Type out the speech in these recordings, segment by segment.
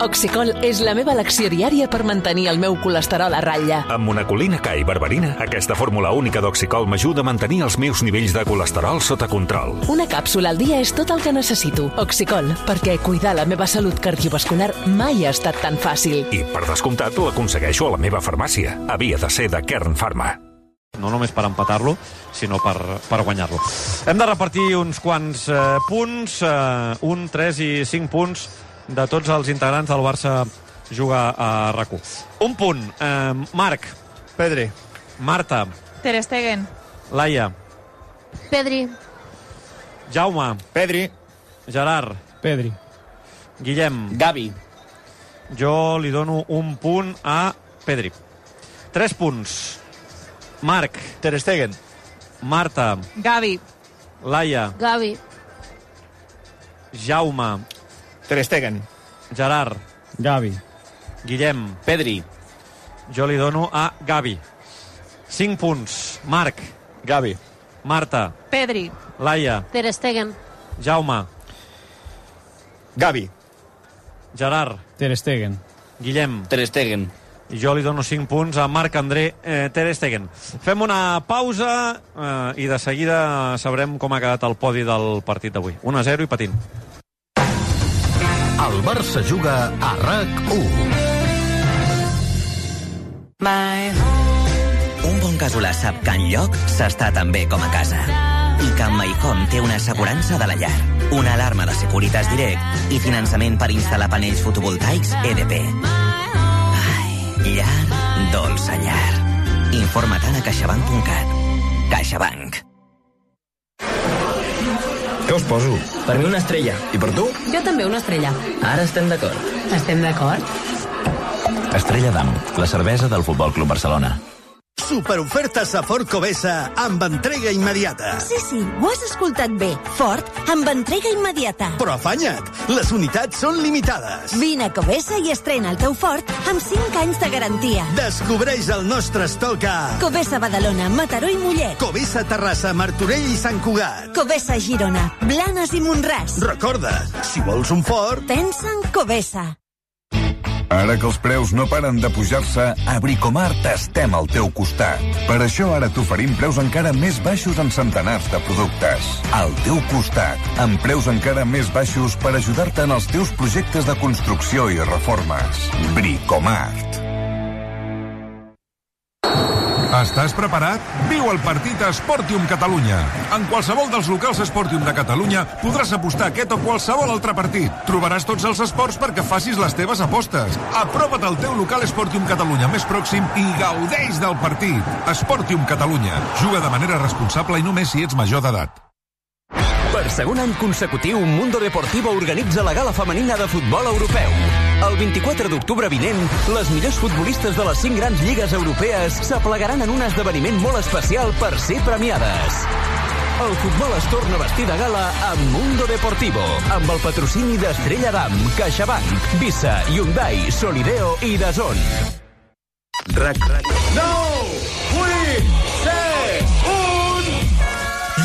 Oxicol és la meva elecció diària per mantenir el meu colesterol a ratlla. Amb monacolina K i berberina, aquesta fórmula única d'Oxicol m'ajuda a mantenir els meus nivells de colesterol sota control. Una càpsula al dia és tot el que necessito. Oxicol, perquè cuidar la meva salut cardiovascular mai ha estat tan fàcil. I, per descomptat, l'aconsegueixo a la meva farmàcia. Havia de ser de Kern Pharma. No només per empatar-lo, sinó per guanyar-lo. Hem de repartir uns quants punts, 1, 3 i 5 punts de tots els integrants del Barça Juga a RAC1. Un punt. Marc. Pedri. Marta. Ter Stegen. Laia. Pedri. Jaume. Pedri. Gerard. Pedri. Guillem. Gavi. Jo li dono un punt a Pedri. 3 punts. Marc. Ter Stegen. Marta. Gavi. Laia. Gavi. Jaume. Ter Stegen. Gerard. Gavi. Guillem. Pedri. Jo li dono a Gavi. 5 punts. Marc. Gavi. Marta. Pedri. Laia. Ter Stegen. Jaume. Gavi. Gerard. Ter Stegen. Guillem. Ter Stegen. I jo li dono 5 punts a Marc-André Ter Stegen. Fem una pausa i de seguida sabrem com ha quedat el podi del partit d'avui. 1-0 i patint. El Barça juga a RAC1. Un bon casolà sap que enlloc s'està tan bé com a casa. I que amb MyHome té una assegurança de la llar, una alarma de Securitas Direct i finançament per instal·lar panells fotovoltaics EDP. Llar, dolça llar. Informa't a caixabank.cat. CaixaBank. Què us poso? Per mi una estrella. I per tu? Jo també una estrella. Ara estem d'acord. Estem d'acord? Estrella d'Am, la cervesa del Futbol Club Barcelona. Superofertes a Ford Covesa amb entrega immediata. Sí, ho has escoltat bé. Ford amb entrega immediata. Però afanya't, les unitats són limitades. Vine a Covesa i estrena el teu Ford amb 5 anys de garantia. Descobreix el nostre estoc a Covesa Badalona, Mataró i Mollet. Covesa Terrassa, Martorell i Sant Cugat. Covesa Girona, Blanes i Montràs. Recorda, si vols un Ford, pensa en Covesa. Ara que els preus no paren de pujar-se, a Bricomart estem al teu costat. Per això ara t'oferim preus encara més baixos en centenars de productes. Al teu costat, amb preus encara més baixos per ajudar-te en els teus projectes de construcció i reformes. Bricomart. Estàs preparat? Viu el partit a Sportium Catalunya. En qualsevol dels locals Sportium de Catalunya podràs apostar aquest o qualsevol altre partit. Trobaràs tots els esports perquè facis les teves apostes. Apropa't al teu local Sportium Catalunya més pròxim i gaudeix del partit. Sportium Catalunya. Juga de manera responsable i només si ets major d'edat. Per segon any consecutiu, Mundo Deportivo organitza la gala femenina de futbol europeu. El 24 d'octubre vinent, les millors futbolistes de les 5 grans lligues europees s'aplegaran en un esdeveniment molt especial per ser premiades. El futbol es torna a vestir de gala amb Mundo Deportivo, amb el patrocini d'Estrella d'Am, CaixaBank, Visa, Hyundai, Solideo i DAZN. RAC. 9, 8, 7, 1...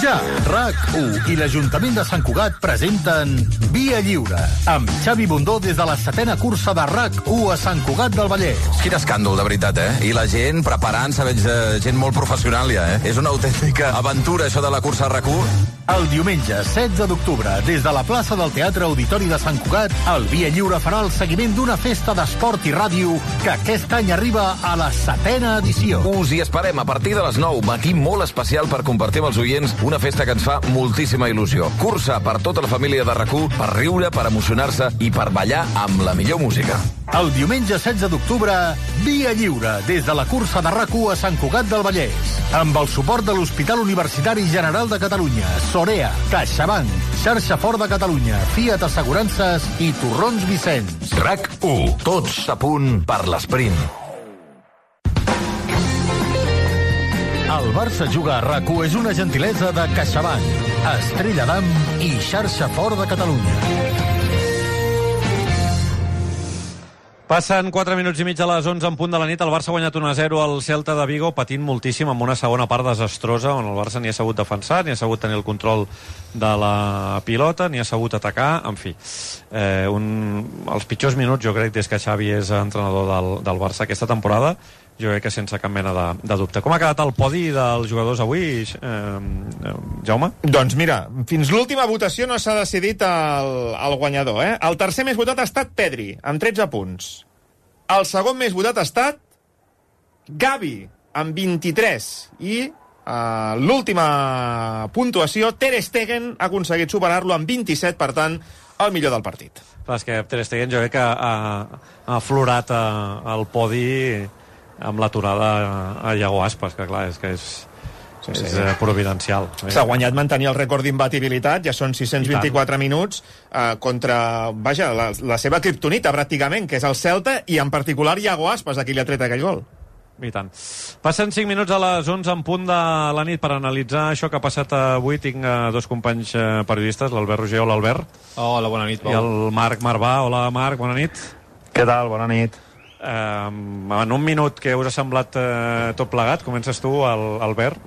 Ja, RAC1 i l'Ajuntament de Sant Cugat presenten Via Lliure, amb Xavi Bundó des de la 7a cursa de RAC1 a Sant Cugat del Vallès. Quin escàndol, de veritat, I la gent preparant-se, veig gent molt professional ja, És una autèntica aventura, això de la cursa a RAC1. El diumenge 16 d'octubre, des de la plaça del Teatre Auditori de Sant Cugat, el Via Lliure farà el seguiment d'una festa d'esport i ràdio que aquest any arriba a la 7a edició. Us hi esperem a partir de les 9, matí molt especial per compartir amb els oients una festa que ens fa moltíssima il·lusió. Cursa per tota la família de RAC1, per riure, per emocionar-se i per ballar amb la millor música. El diumenge 16 d'octubre, Via Lliure, des de la cursa de RAC1 a Sant Cugat del Vallès, amb el suport de l'Hospital Universitari General de Catalunya, Sorea, CaixaBank, Xarxa Ford de Catalunya, Fiat Assegurances i Torrons Vicenç. RAC1, tots a punt per l'esprint. El Barça Juga a RAC1 és una gentilesa de CaixaBank, Estrella d'Am i Xarxa Ford de Catalunya. Passen 4 minuts i mig a les 11 en punt de la nit. El Barça ha guanyat 1-0 al Celta de Vigo, patint moltíssim amb una segona part desastrosa, on el Barça ni ha sabut defensar, ni ha sabut tenir el control de la pilota, ni ha sabut atacar, en fi. Els pitjors minuts, jo crec, des que Xavi és entrenador del Barça aquesta temporada, jo crec que sense cap mena de dubte. Com ha quedat el podi dels jugadors avui, Jaume? Doncs mira, fins l'última votació no s'ha decidit el guanyador. El tercer més votat ha estat Pedri, amb 13 punts. El segon més votat ha estat Gavi, amb 23. I l'última puntuació, Ter Stegen ha aconseguit superar-lo amb 27, per tant, el millor del partit. Clar, és que Ter Stegen jo crec que ha aflorat el podi amb l'aturada a Iago Aspas, que clar, és providencial. S'ha guanyat mantenir el rècord d'imbatibilitat, ja són 624 minuts, contra, la seva kriptonita, pràcticament, que és el Celta, i en particular Iago Aspas, a qui li ha tret aquell gol. I tant. Passen 5 minuts a les 11 en punt de la nit per analitzar això que ha passat avui. Tinc dos companys periodistes, l'Albert Roger. Hola, Albert. Hola, bona nit, Pau. I el Marc Marvà. Hola, Marc, bona nit. Què tal? Bona nit. En un minut, què us ha semblat tot plegat? Comences tu, Albert.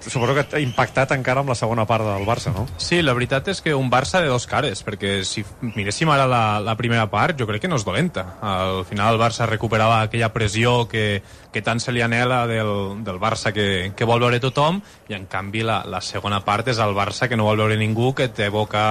Suposo que t'ha impactat encara amb la segona part del Barça, no? Sí, la veritat és que un Barça de dos cares, perquè si miréssim ara la primera part, jo crec que no és dolenta. Al final el Barça recuperava aquella pressió que tant se li anhela del Barça que vol veure tothom, i en canvi la segona part és el Barça que no vol veure ningú, que t'evoca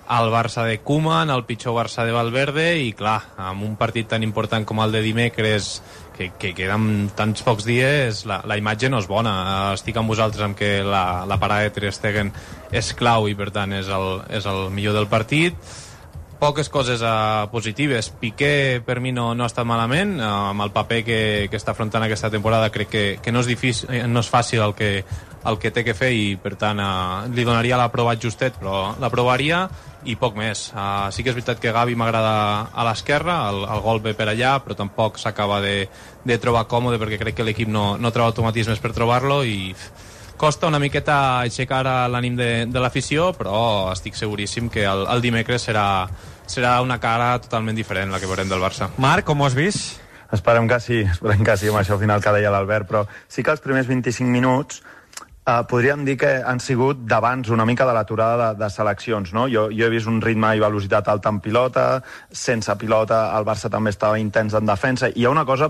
el Barça de Koeman, el pitjor Barça de Valverde, i clar, amb un partit tan important com el de dimecres, que queden tants pocs dies, la imatge no és bona. Estic amb vosaltres amb que la parada de Ter Stegen és clau i per tant és el millor del partit. Poques coses positives. Piqué per mi no ha estat malament, amb el paper que està afrontant aquesta temporada crec que no és difícil, no és fàcil el que té que fer, i per tant li donaria l'aprovat justet, però l'aprovaria, i poc més. Sí que és veritat que Gavi m'agrada a l'esquerra, el gol ve per allà, però tampoc s'acaba de trobar còmode, perquè crec que l'equip no troba automatismes per trobar-lo, i costa una miqueta aixecar l'ànim de l'afició, però estic seguríssim que el dimecres serà una cara totalment diferent la que veurem del Barça. Marc, com ho has vist? Esperem que sí, amb això final que deia l'Albert, però sí que els primers 25 minuts podríem dir que han sigut d'abans una mica de l'aturada de seleccions, no? Jo he vist un ritme i velocitat alta en pilota, sense pilota el Barça també estava intens en defensa. Hi ha una cosa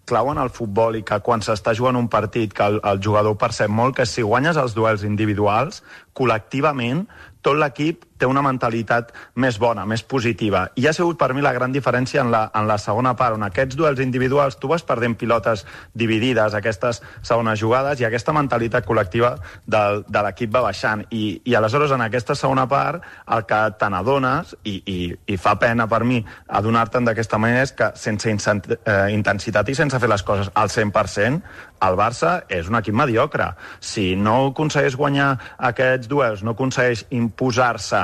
clau en el futbol, i que quan s'està jugant un partit que el jugador percep molt, que si guanyes els duels individuals, col·lectivament tot l'equip té una mentalitat més bona, més positiva. I ha sigut per mi la gran diferència en la segona part, on aquests duels individuals tu vas perdent pilotes dividides, aquestes segones jugades, i aquesta mentalitat col·lectiva de l'equip va baixant. I aleshores en aquesta segona part el que te n'adones, i fa pena per mi adonar-te'n d'aquesta manera, és que sense intensitat i sense fer les coses al 100%, el Barça és un equip mediocre. Si no aconsegueix guanyar aquests duels, no aconsegueix imposar-se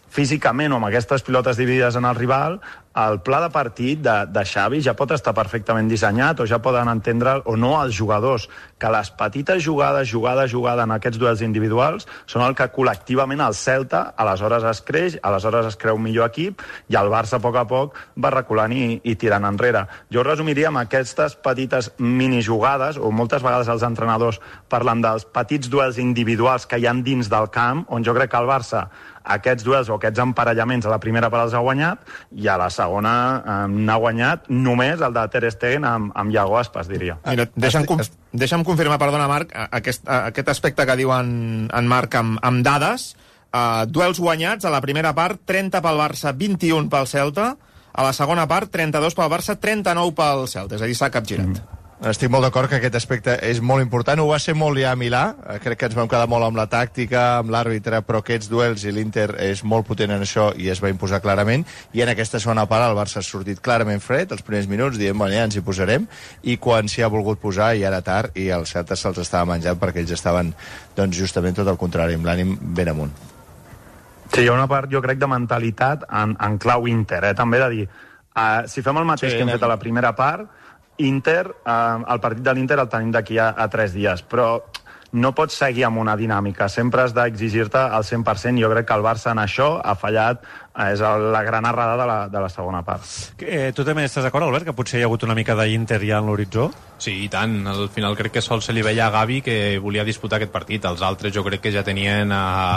físicament o amb aquestes pilotes dividides en el rival, el pla de partit de Xavi ja pot estar perfectament dissenyat, o ja poden entendre, o no els jugadors, que les petites jugades en aquests duels individuals són el que col·lectivament el Celta aleshores es creix, aleshores es creu un millor equip, i el Barça a poc va reculant i tirant enrere. Jo ho resumiria amb aquestes petites minijugades, o moltes vegades els entrenadors parlen dels petits duels individuals que hi ha dins del camp, on jo crec que el Barça aquests duels o aquests emparellaments a la primera part els ha guanyat, i a la segona n'ha guanyat només el de Ter Stegen amb Iago Aspas, diria. Mira, deixa'm confirmar, perdona, Marc, aquest aspecte que diu en Marc amb dades. Duels guanyats a la primera part, 30 pel Barça, 21 pel Celta. A la segona part, 32 pel Barça, 39 pel Celta. És a dir, s'ha capgirat. Estic molt d'acord que aquest aspecte és molt important. Ho va ser molt ja a Milà. Crec que ens vam quedar molt amb la tàctica, amb l'àrbitre, però aquests duels, i l'Inter és molt potent en això i es va imposar clarament. I en aquesta segona part el Barça ha sortit clarament fred, els primers minuts, dient, bueno, ja ens hi posarem, i quan s'hi ha volgut posar ja era tard, i el Celta se'ls estava menjant, perquè ells estaven doncs, justament tot el contrari, amb l'ànim ben amunt. Sí, hi ha una part, jo crec, de mentalitat en clau Inter, també de dir, si fem el mateix que hem fet a la primera part, el partit de l'Inter el tenim d'aquí a 3 dies, però no pots seguir amb una dinàmica, sempre has d'exigir-te al 100%. Jo crec que el Barça en això ha fallat, és la gran errada de la segona part. Tu també estàs d'acord, Albert, que potser hi ha hagut una mica d'Inter ja en l'horitzó? Sí, i tant. Al final crec que sol se li veia a Gavi que volia disputar aquest partit. Els altres jo crec que ja tenien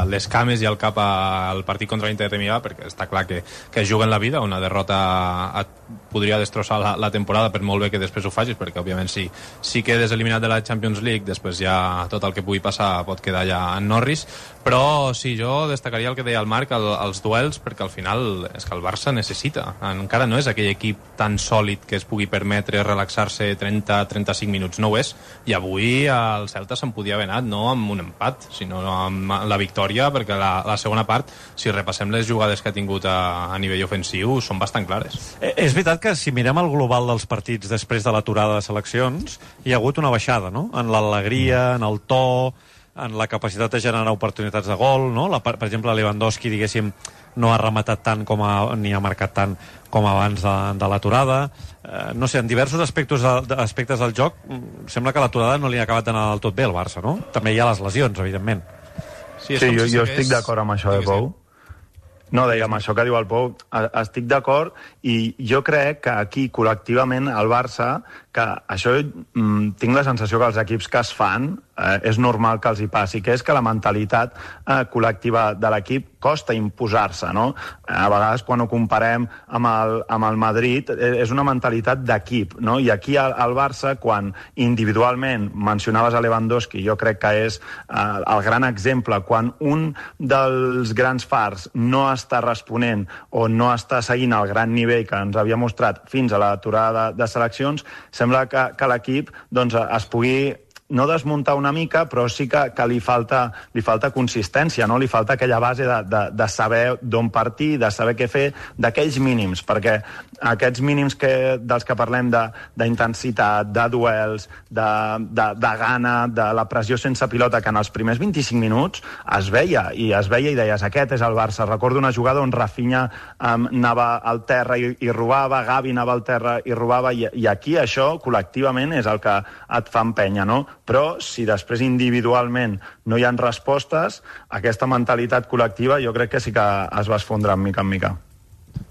les cames i el cap al partit contra l'Inter de Milà, perquè està clar que juguen la vida. Una derrota podria destrossar la temporada, per molt bé que després ho facis, perquè òbviament si quedes eliminat de la Champions League, després ja tot el que pugui passar pot quedar ja en Norris. Però sí, jo destacaria el que deia el Marc, els duels, perquè al final és que el Barça necessita. Encara no és aquell equip tan sòlid que es pugui permetre relaxar-se 30-35 minuts. No ho és. I avui el Celta se'n podia haver anat no amb un empat, sinó amb la victòria, perquè la segona part, si repassem les jugades que ha tingut a nivell ofensiu, són bastant clares. És veritat que si mirem el global dels partits després de l'aturada de seleccions, hi ha hagut una baixada, no? En l'alegria, en el to, en la capacitat de generar oportunitats de gol, no? Per exemple, Lewandowski, diguéssim, no ha rematat tant ni ha marcat tant com abans de l'aturada. No sé, en diversos aspectes del joc sembla que l'aturada no li ha acabat d'anar del tot bé al Barça, no? També hi ha les lesions, evidentment. Sí, jo estic d'acord amb això, Pou. No, deia, amb això que diu el Pou, estic d'acord, i jo crec que aquí, col·lectivament, el Barça, que això tinc la sensació que els equips que es fan és normal que els hi passi, que és que la mentalitat col·lectiva de l'equip costa imposar-se, no? A vegades, quan ho comparem amb el Madrid, és una mentalitat d'equip, no? I aquí al Barça, quan individualment mencionaves a Lewandowski, jo crec que és el gran exemple, quan un dels grans fars no està responent o no està seguint el gran nivell que ens havia mostrat fins a l'aturada de seleccions, sembla que l'equip es pugui no desmuntar una mica, però sí que li falta consistència, no? Li falta aquella base de saber d'on partir, de saber què fer, d'aquells mínims, perquè aquests mínims dels que parlem d'intensitat, de duels, de gana, de la pressió sense pilota, que en els primers 25 minuts es veia i deies, aquest és el Barça. Recordo una jugada on Rafinha anava al terra i robava, Gavi anava al terra i robava, i aquí això, col·lectivament, és el que et fa empènyer, no? Però si després individualment no hi ha respostes, aquesta mentalitat col·lectiva jo crec que sí que es va esfondrar mica en mica.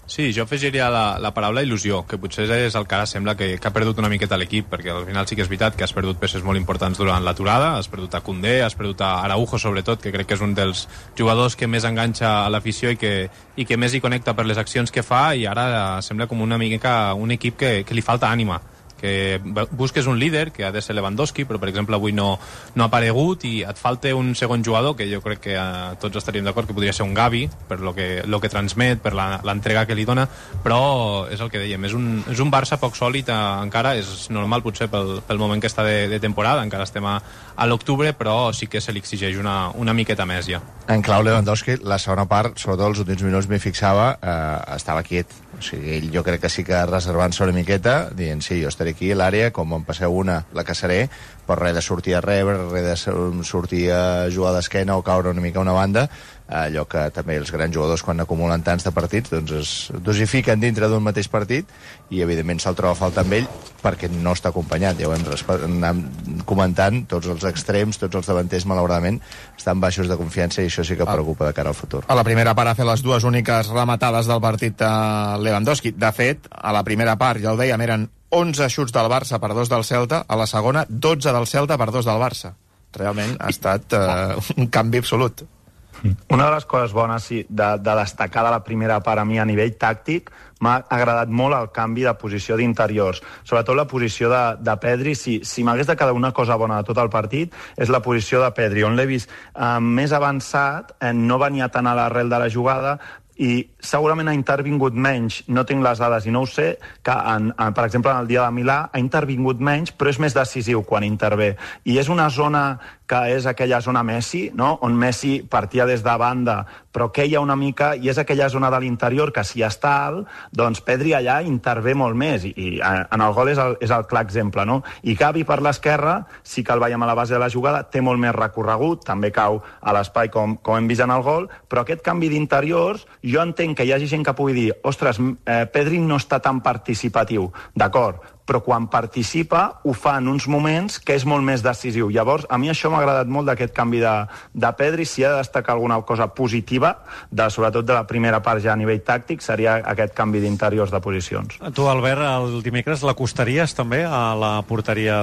Sí, jo afegiria la paraula il·lusió, que potser és el que ara sembla que ha perdut una miqueta l'equip, perquè al final sí que és veritat que has perdut peces molt importants durant l'aturada, has perdut a Koundé, has perdut a Araujo sobretot, que crec que és un dels jugadors que més enganxa a l'afició i que més hi connecta per les accions que fa, i ara sembla com una mica un equip que li falta ànima, que busques un líder, que ha de ser Lewandowski, però per exemple avui no ha aparegut, i et falta un segon jugador, que jo crec que tots estaríem d'acord que podria ser un Gavi, per lo que transmet, per l'entrega que li dona, però és el que dèiem, és un Barça poc sòlid encara, és normal potser pel moment que està de temporada, encara estem a l'octubre, però sí que se li exigeix una miqueta més ja. En clau Lewandowski, la segona part, sobretot els últims minuts m'hi fixava, estava quiet. O sigui, ell jo crec que sí que reservant-se una miqueta, dient, sí, jo estaré aquí a l'àrea, com em passeu una, la caçaré, però res de sortir a rebre, res de sortir a jugar d'esquena o caure una mica a una banda, allò que també els grans jugadors, quan acumulen tants de partits, doncs es dosifiquen dintre d'un mateix partit, i evidentment se'l troba a falta amb ell perquè no està acompanyat. Ja ho hem comentant, tots els extrems, tots els davanters, malauradament, estan baixos de confiança, i això sí que preocupa de cara al futur. A la primera part ha fet les dues úniques rematades del partit Lewandowski. De fet, a la primera part, ja ho dèiem, eren 11 xuts del Barça per 2 del Celta, a la segona 12 del Celta per 2 del Barça. Realment ha estat un canvi absolut. Una de les coses bones de destacar de la primera part a mi a nivell tàctic, m'ha agradat molt el canvi de posició d'interiors, sobretot la posició de Pedri. Si m'hagués de quedar una cosa bona de tot el partit, és la posició de Pedri, on l'he vist més avançat, no venia tan a l'arrel de la jugada, i segurament ha intervingut menys, no tinc les dades i no ho sé, que per exemple en el dia de Milà ha intervingut menys, però és més decisiu quan intervé. I és una zona que és aquella zona Messi, no? On Messi partia des de banda, però queia una mica, i és aquella zona de l'interior que si està alt, doncs Pedri allà intervé molt més, i en el gol és el clar exemple, no? I Gavi per l'esquerra, sí que el veiem a la base de la jugada, té molt més recorregut, també cau a l'espai com hem vist en el gol, però aquest canvi d'interiors, jo entenc que hi hagi gent que pugui dir, ostres, Pedri no està tan participatiu, d'acord, però quan participa ho fa en uns moments que és molt més decisiu. Llavors, a mi això m'ha agradat molt d'aquest canvi de Pedri. Si ha de destacar alguna cosa positiva, sobretot de la primera part ja a nivell tàctic, seria aquest canvi d'interiors de posicions. Tu, Albert, el dimecres l'acostaries també a la porteria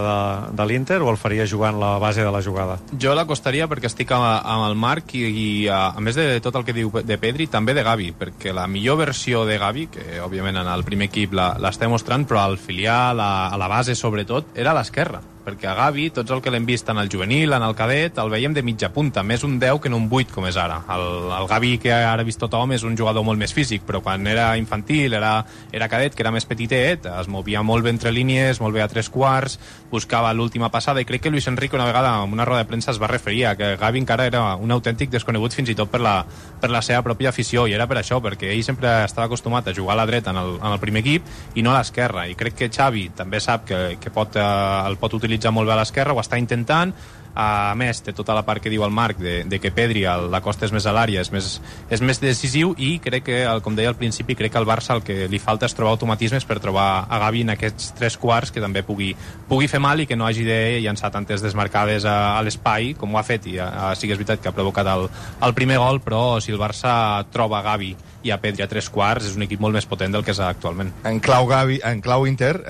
de l'Inter o el faries jugant la base de la jugada? Jo l'acostaria perquè estic amb el Marc i a més de tot el que diu de Pedri, també de Gavi, perquè la millor versió de Gavi, que òbviament en el primer equip l'està mostrant, però al filial, a la base sobretot, era a l'esquerra, perquè a Gavi, tots el que l'hem vist en el juvenil, en el cadet, el veiem de mitja punta, més un 10 que no un 8 com és ara. El Gavi que ara ha vist tothom és un jugador molt més físic, però quan era infantil, era cadet, que era més petitet, es movia molt bé entre línies, molt bé a 3/4, buscava l'última passada, i crec que Luis Enrique una vegada en una roda de premsa es va referir a que Gavi encara era un autèntic desconegut fins i tot per la seva pròpia afició, i era per això, perquè ell sempre estava acostumat a jugar a la dreta en el primer equip i no a l'esquerra, i crec que Xavi també sap que el pot utilitzar molt bé a l'esquerra, ho està intentant. A més, té tota la part que diu el Marc de que Pedri, la costa és més a l'àrea, és més decisiu, i crec que, com deia al principi, crec que al Barça el que li falta és trobar automatismes per trobar a Gavi en aquests 3/4 que també pugui fer mal i que no hagi de llançar tantes desmarcades a l'espai com ho ha fet, i sí que és veritat que ha provocat el primer gol, però si el Barça troba Gavi i a Pedri a 3/4 és un equip molt més potent del que és actualment. En clau Inter,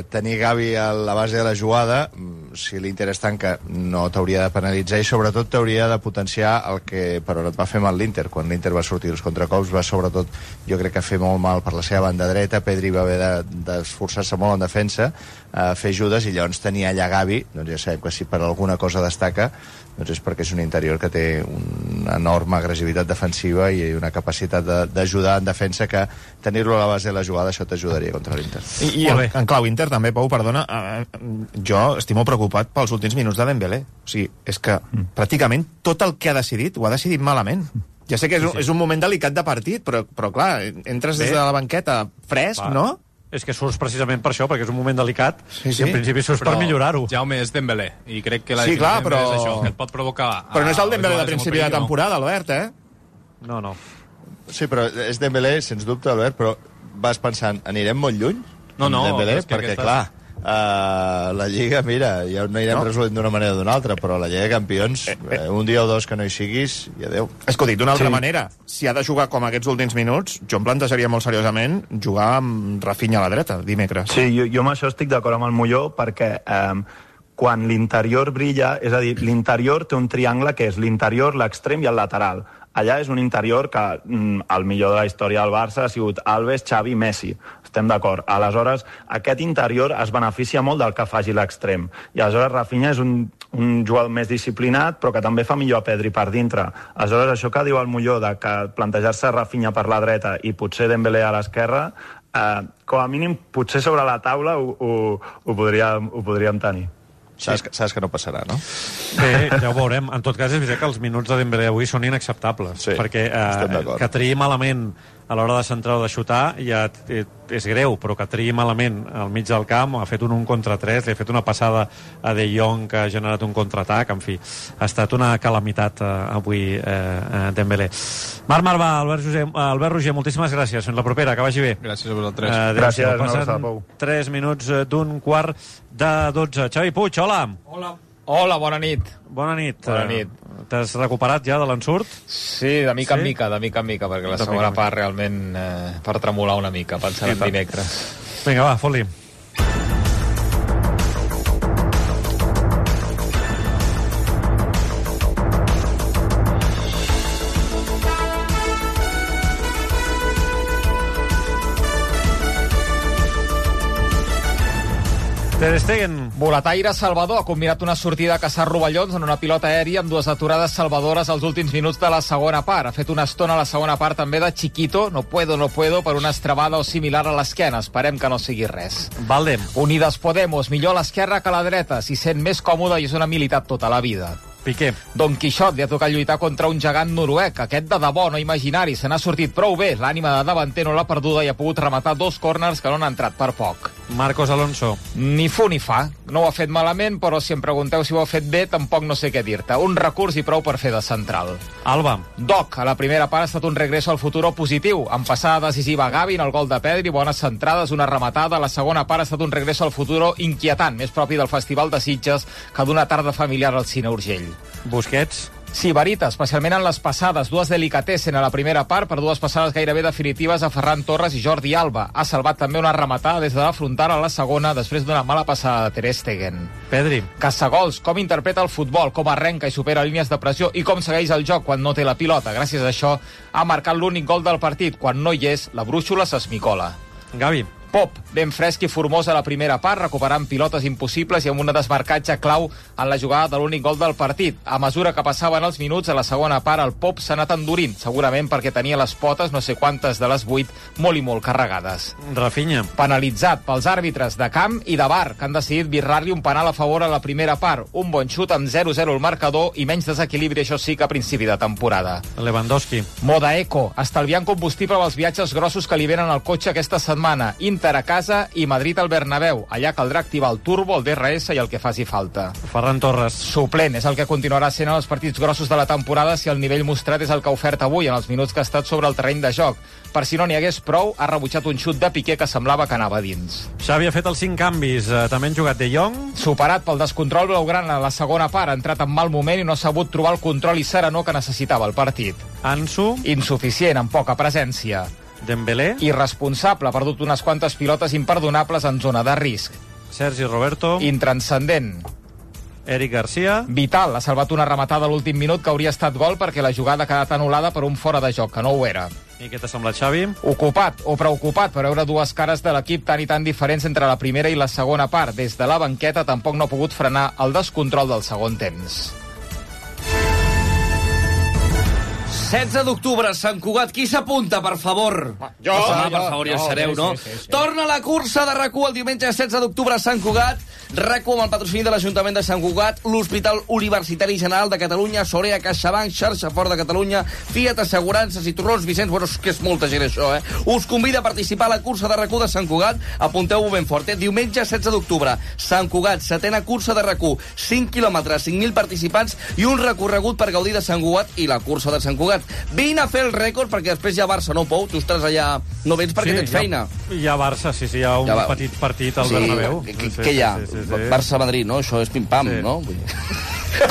tenir Gavi a la base de la jugada, si l'Inter es tanca, no t'hauria de penalitzar, i sobretot t'hauria de potenciar el que per on et va fer mal l'Inter. Quan l'Inter va sortir els contracops va sobretot, jo crec que fer molt mal per la seva banda dreta. Pedri va haver d'esforçar-se molt en defensa, fer ajudes, i llavors tenir allà Gavi, doncs ja sabem que si per alguna cosa destaca, doncs és perquè és un interior que té una enorme agressivitat defensiva i una capacitat d'ajudar en defensa, que tenir-lo a la base de la jugada, això t'ajudaria contra l'Inter. I en clau Inter també, Pau, perdona, jo estic molt preocupat pels últims minuts de Dembélé. O sigui, és que pràcticament tot el que ha decidit ho ha decidit malament. Ja sé que és un moment delicat de partit, però clar, entres des de la banqueta fresc, no? És que surts precisament per això, perquè és un moment delicat, i en principi surts per millorar-ho. Jaume, és Dembélé, i crec que la sí, clar, però... és això, que et pot provocar... Però no és el Dembélé de principi de temporada, Albert, No. Sí, però és Dembélé, sens dubte, Albert, però vas pensant, anirem molt lluny? No, Dembélé, perquè, clar, la Lliga, mira, ja no anirem resolent d'una manera o d'una altra, però la Lliga de Campions, un dia o dos que no hi siguis, i adeu. És que ho dic d'una altra manera. Si ha de jugar com aquests últims minuts, jo em plantejaria molt seriosament jugar amb Rafinha a la dreta, dimecres. Sí, jo amb això estic d'acord amb el Molló, perquè quan l'interior brilla, és a dir, l'interior té un triangle que és l'interior, l'extrem i el lateral. Allà és un interior que el millor de la història del Barça ha sigut Alves, Xavi, Messi. Estem d'acord. Aleshores, aquest interior es beneficia molt del que faci l'extrem. I aleshores Rafinha és un jugador més disciplinat, però que també fa millor a Pedri per dintre. Aleshores, això que diu el Molló, de que plantejar-se Rafinha per la dreta i potser Dembélé a l'esquerra, com a mínim, potser sobre la taula ho podríem tenir. Saps que no passarà, no? Bé, ja ho veurem. En tot cas, és veritat que els minuts de Dembélé avui són inacceptables, perquè que triï malament a l'hora de centrar o de xutar ja és greu, però que triï malament al mig del camp, ha fet un contra 3, li ha fet una passada a De Jong que ha generat un contraatac, en fi, ha estat una calamitat avui Dembélé. Marc Marvà, Albert Roger, moltíssimes gràcies, fins la propera, que vagi bé. Gràcies a vosaltres. Gràcies, passen 3 minuts d'un quart de 12. Xavi Puig, hola. Hola, bona nit. Bona nit. T'has recuperat ja de l'ensurt? Sí, de mica en mica, perquè la segona part realment per tremolar una mica, pensant en dimecres. Vinga, va, fot-li. Ter Stegen. Boletaire Salvador ha combinat una sortida a caçar rovellons en una pilota aèria amb dues aturades salvadores als últims minuts de la segona part. Ha fet una estona a la segona part també de Chiquito, no puedo, per una estrebada o similar a l'esquena. Esperem que no sigui res. Valdem. Unides Podemos, millor a l'esquerra que a la dreta, s'hi sent més còmode i és una militat tota la vida. Piqué. Don Quixot li ha tocat lluitar contra un gegant noruec, aquest de debò, no imaginari, se n'ha sortit prou bé, l'ànima de davanter no l'ha perduda i ha pogut rematar 2 córners que no han entrat per poc. Marcos Alonso. Ni fu ni fa. No ho ha fet malament, però si em pregunteu si ho ha fet bé, tampoc no sé què dir-te. Un recurs i prou per fer de central. Alba. Doc, a la primera part ha estat un regreso al futuro positiu. En passada decisiva Gavi, en el gol de Pedri, bones centrades, una rematada. A la segona part ha estat un regreso al futuro inquietant, més propi del Festival de Sitges que d'una tarda familiar al Cine Urgell. Busquets. Sí, Barita, especialment en les passades. Dues delicatessen a la primera part per dues passades gairebé definitives a Ferran Torres i Jordi Alba. Ha salvat també una rematada des de la frontal a la segona després d'una mala passada de Ter Stegen. Pedri. Caçagols, com interpreta el futbol, com arrenca i supera línies de pressió i com segueix el joc quan no té la pilota. Gràcies a això ha marcat l'únic gol del partit. Quan no hi és, la brúixola s'esmicola. Gavi. Pop, ben fresc i formós a la primera part, recuperant pilotes impossibles i amb un desmarcatge clau en la jugada de l'únic gol del partit. A mesura que passaven els minuts, a la segona part el Pop s'ha anat endurint, segurament perquè tenia les potes, no sé quantes de les 8, molt i molt carregades. Rafinha. Penalitzat pels àrbitres de camp i de VAR, que han decidit birrar-li un penal a favor a la primera part. Un bon xut amb 0-0 el marcador i menys desequilibri, això sí, que a principi de temporada. Lewandowski. Moda eco, estalviant combustible pels viatges grossos que li venen al cotxe aquesta setmana. Inter a casa i Madrid al Bernabéu. Allà caldrà activar el turbo, el DRS i el que faci falta. Ferran Torres. Suplent, és el que continuarà sent en els partits grossos de la temporada si el nivell mostrat és el que ha ofert avui en els minuts que ha estat sobre el terreny de joc. Per si no n'hi hagués prou, ha rebutjat un xut de Piqué que semblava que anava dins. Xavi ha fet els 5 canvis. També han jugat De Jong. Superat pel descontrol blaugrana a la segona part, ha entrat en mal moment i no ha sabut trobar el control i serenor que necessitava el partit. Ansu. Insuficient, amb poca presència. Dembélé. Irresponsable, ha perdut unes quantes pilotes imperdonables en zona de risc. Sergi Roberto. Intranscendent. Eric Garcia. Vital, ha salvat una rematada a l'últim minut que hauria estat gol perquè la jugada ha quedat anul·lada per un fora de joc, que no ho era. I què t'ha semblat, Xavi? Ocupat o preocupat per veure dues cares de l'equip tan i tan diferents entre la primera i la segona part. Des de la banqueta tampoc no ha pogut frenar el descontrol del segon temps. 16 d'octubre, Sant Cugat. Qui s'apunta, per favor? Jo. Per favor, ja sabeu, no? Sí. Torna la cursa de RAC1 el diumenge 16 d'octubre a Sant Cugat. RAC1 amb el patrocini de l'Ajuntament de Sant Cugat, l'Hospital Universitari General de Catalunya, Sorea, CaixaBank, Xarxa Fort de Catalunya, Fiat Assegurances i Torrons Vicenç. Bueno, és que és molta gent, això, eh? Us convida a participar a la cursa de RAC1 de Sant Cugat. Apunteu-ho ben fort, eh? Diumenge 16 d'octubre, Sant Cugat, 7a cursa de RAC1. 5 quilòmetres, 5.000 participants i un recorregut per gaudir de Sant Cugat i la cursa de Sant Cugat. Vine a fer el rècord perquè després hi ha Barça, no, Pou? Tu estaràs allà, no vens perquè tens feina. Hi ha Barça, sí, hi ha un petit partit al Bernabéu. Què hi ha? Barça-Madrid, no? Això és pim-pam, no?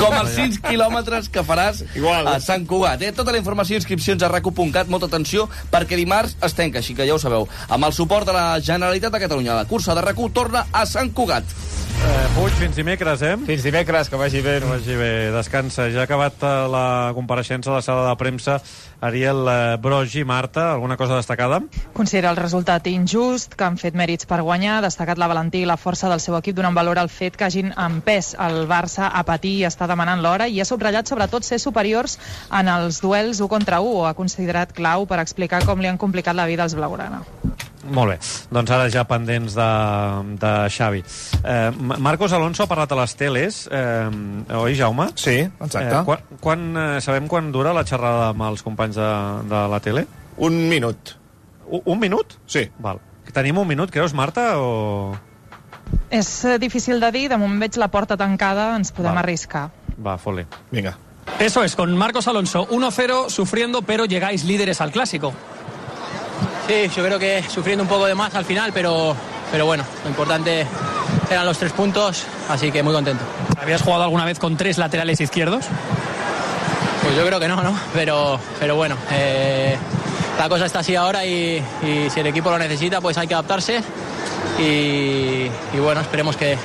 Com els 5 quilòmetres que faràs a Sant Cugat. Tota la informació i inscripcions a rac1.cat, molta atenció, perquè dimarts es tanca, així que ja ho sabeu. Amb el suport de la Generalitat de Catalunya, la cursa de RAC1 torna a Sant Cugat. Puig, fins dimecres, eh? Fins dimecres, que vagi bé. Que vagi bé, descansa. Ja ha acabat la compareixença a la sala de premsa. Ariel Brogi, Marta, alguna cosa destacada? Considera el resultat injust, que han fet mèrits per guanyar, ha destacat la valentia i la força del seu equip, donant valor al fet que hagin empès el Barça a patir i està demanant l'hora, i ha subratllat sobretot ser superiors en els duels 1 contra 1, o ha considerat clau per explicar com li han complicat la vida als blaugrana. Molt bé, doncs ara ja pendents de Xavi. Marcos Alonso ha parlat a les teles, oi, Jaume? Sí, exacte. Sabem quan dura la xerrada amb els companys de la tele? 1 minut. Un minut? Sí. Val. Tenim 1 minut, creus, Marta, o...? És difícil de dir, de moment veig la porta tancada, ens podem arriscar. Va, fot-li. Vinga. Eso es, con Marcos Alonso, 1-0, sufriendo, pero llegáis líderes al Clásico. Sí, yo creo que sufriendo un poco de más al final, pero bueno, lo importante eran los 3 puntos, así que muy contento. ¿Habías jugado alguna vez con 3 laterales izquierdos? Pues yo creo que no, pero bueno, la cosa está así ahora y si el equipo lo necesita, pues hay que adaptarse y bueno, esperemos que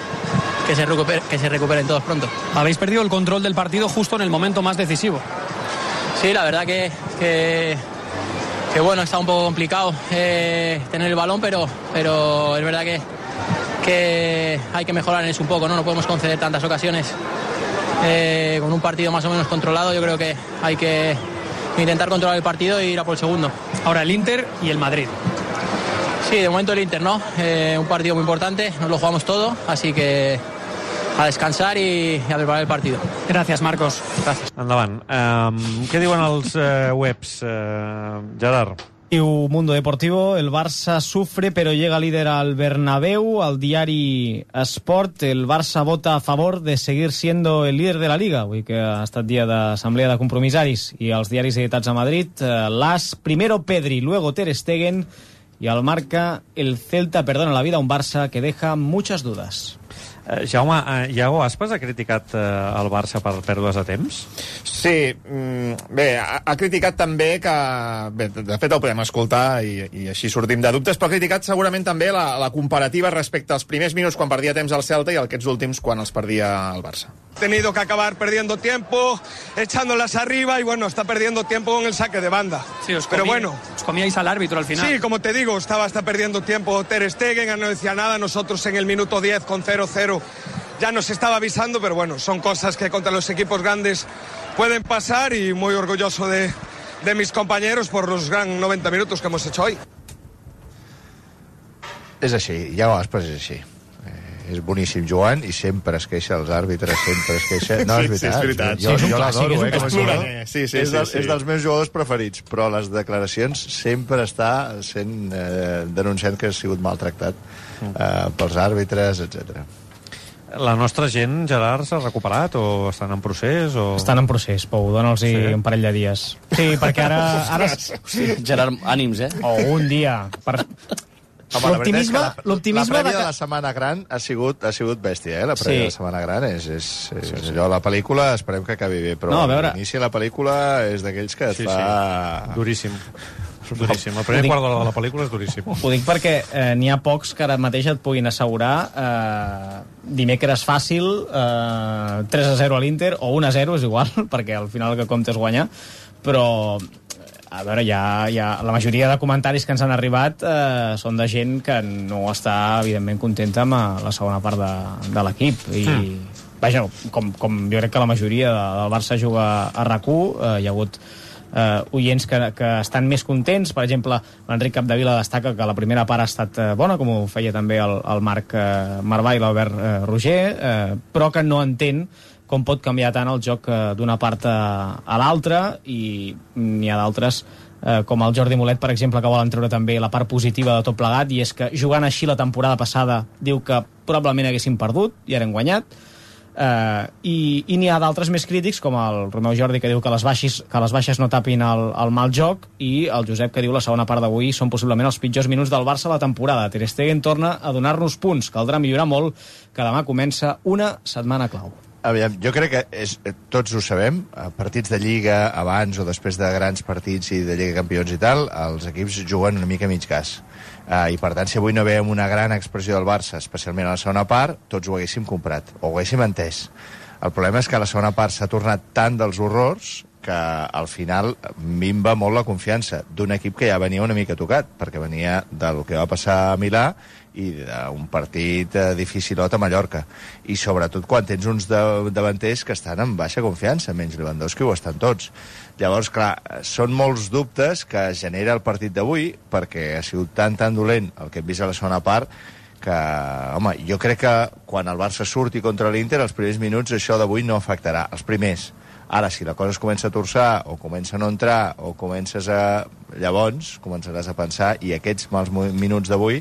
se recuperen todos pronto. Habéis perdido el control del partido justo en el momento más decisivo. Sí, la verdad que bueno, está un poco complicado tener el balón, pero es verdad que hay que mejorar en eso un poco, ¿no? No podemos conceder tantas ocasiones con un partido más o menos controlado. Yo creo que hay que intentar controlar el partido e ir a por el segundo. Ahora el Inter y el Madrid. Sí, de momento el Inter, ¿no? Un partido muy importante, nos lo jugamos todo, así que a descansar i a preparar el partido. Gràcies, Marcos. Gràcies. Endavant. Què diuen els webs, Gerard? Diu Mundo Deportivo, el Barça sufre pero llega líder al Bernabéu. Al diari Esport, el Barça vota a favor de seguir siendo el líder de la Liga. Avui que ha estat dia d'assemblea de compromissaris. I als diaris editats a Madrid, l'As, primero Pedri, luego Ter Stegen, y al Marca, el Celta perdona la vida a un Barça que deja muchas dudas. Jaume, Iago Aspas ha criticat el Barça per pèrdues de temps? Sí, bé, ha criticat també que... Bé, de fet el podem escoltar i així sortim de dubtes, però ha criticat segurament també la comparativa respecte als primers minuts quan perdia temps al Celta i aquests últims quan els perdia el Barça. Tenido que acabar perdiendo tiempo, echándolas arriba y bueno, está perdiendo tiempo con el saque de banda. Sí, pero bueno, os comíais al árbitro al final. Sí, como te digo, está perdiendo tiempo Ter Stegen, no decía nada, nosotros en el minuto 10 con 0-0 ya nos estaba avisando, pero bueno, son cosas que contra los equipos grandes pueden pasar y muy orgulloso de mis compañeros por los gran 90 minutos que hemos hecho hoy. És així, Iago Aspas és així. És boníssim jugant i sempre es queixa els àrbitres, sempre es queixa. No, és veritat. Sí, és veritat. Jo l'adoro, és ploraner. Sí. És dels meus jugadors preferits, però les declaracions sempre està sent denunciant que ha sigut maltractat pels àrbitres, etc. La nostra gent, Gerard, s'ha recuperat o estan en procés? O... Estan en procés, Pou, dona'ls un parell de dies. Sí, perquè ara... Sí, Gerard, ànims, O un dia. L'optimisme... La prèvia de la Setmana Gran ha sigut bèstia, La prèvia de la Setmana Gran és allò, la pel·lícula esperem que acabi bé, però l'inici de la pel·lícula és d'aquells que et fa... Duríssim. Duríssim. El primer quart d'hora de la pel·lícula és duríssim. Ho dic perquè n'hi ha pocs que ara mateix et puguin assegurar dimecres fàcil, 3-0 a l'Inter, o 1-0, és igual, perquè al final el que compta és guanyar, però a veure, la majoria de comentaris que ens han arribat són de gent que no està, evidentment, contenta amb la segona part de l'equip. I, vaja, com jo crec que la majoria del Barça juga a RAC1, hi ha hagut oients que estan més contents. Per exemple, l'Enric Capdevila destaca que la primera part ha estat bona, com ho feia també el Marc Marvà i l'Albert Roger, però que no entén com pot canviar tant el joc d'una part a l'altra, i n'hi ha d'altres com el Jordi Molet, per exemple, que volen treure també la part positiva de tot plegat, i és que jugant així la temporada passada diu que probablement haguessin perdut i ara han guanyat. I n'hi ha d'altres més crítics, com el Romeu Jordi, que diu que les baixes no tapin el mal joc, i el Josep, que diu la segona part d'avui són possiblement els pitjors minuts del Barça a la temporada. Ter Stegen torna a donar-nos punts, caldrà millorar molt, que demà comença una setmana clau. Aviam, jo crec que tots ho sabem, a partits de Lliga, abans o després de grans partits i de Lliga Campions i tal, els equips juguen una mica mig gas. I per tant, si avui no veiem una gran expressió del Barça, especialment a la segona part, tots ho haguéssim comprat, o ho haguéssim entès. El problema és que a la segona part s'ha tornat tant dels horrors que al final minva molt la confiança d'un equip que ja venia una mica tocat, perquè venia del que va passar a Milà i d'un partit dificilot a Mallorca. I sobretot quan tens uns davanters que estan en baixa confiança, menys Lewandowski ho estan tots. Llavors, clar, són molts dubtes que genera el partit d'avui, perquè ha sigut tan dolent el que hem vist a la segona part, que, home, jo crec que quan el Barça surti contra l'Inter, els primers minuts això d'avui no afectarà, els primers. Ara, si la cosa es comença a torçar, o comença a no entrar, o comences a... Llavors, començaràs a pensar, i aquests mals minuts d'avui,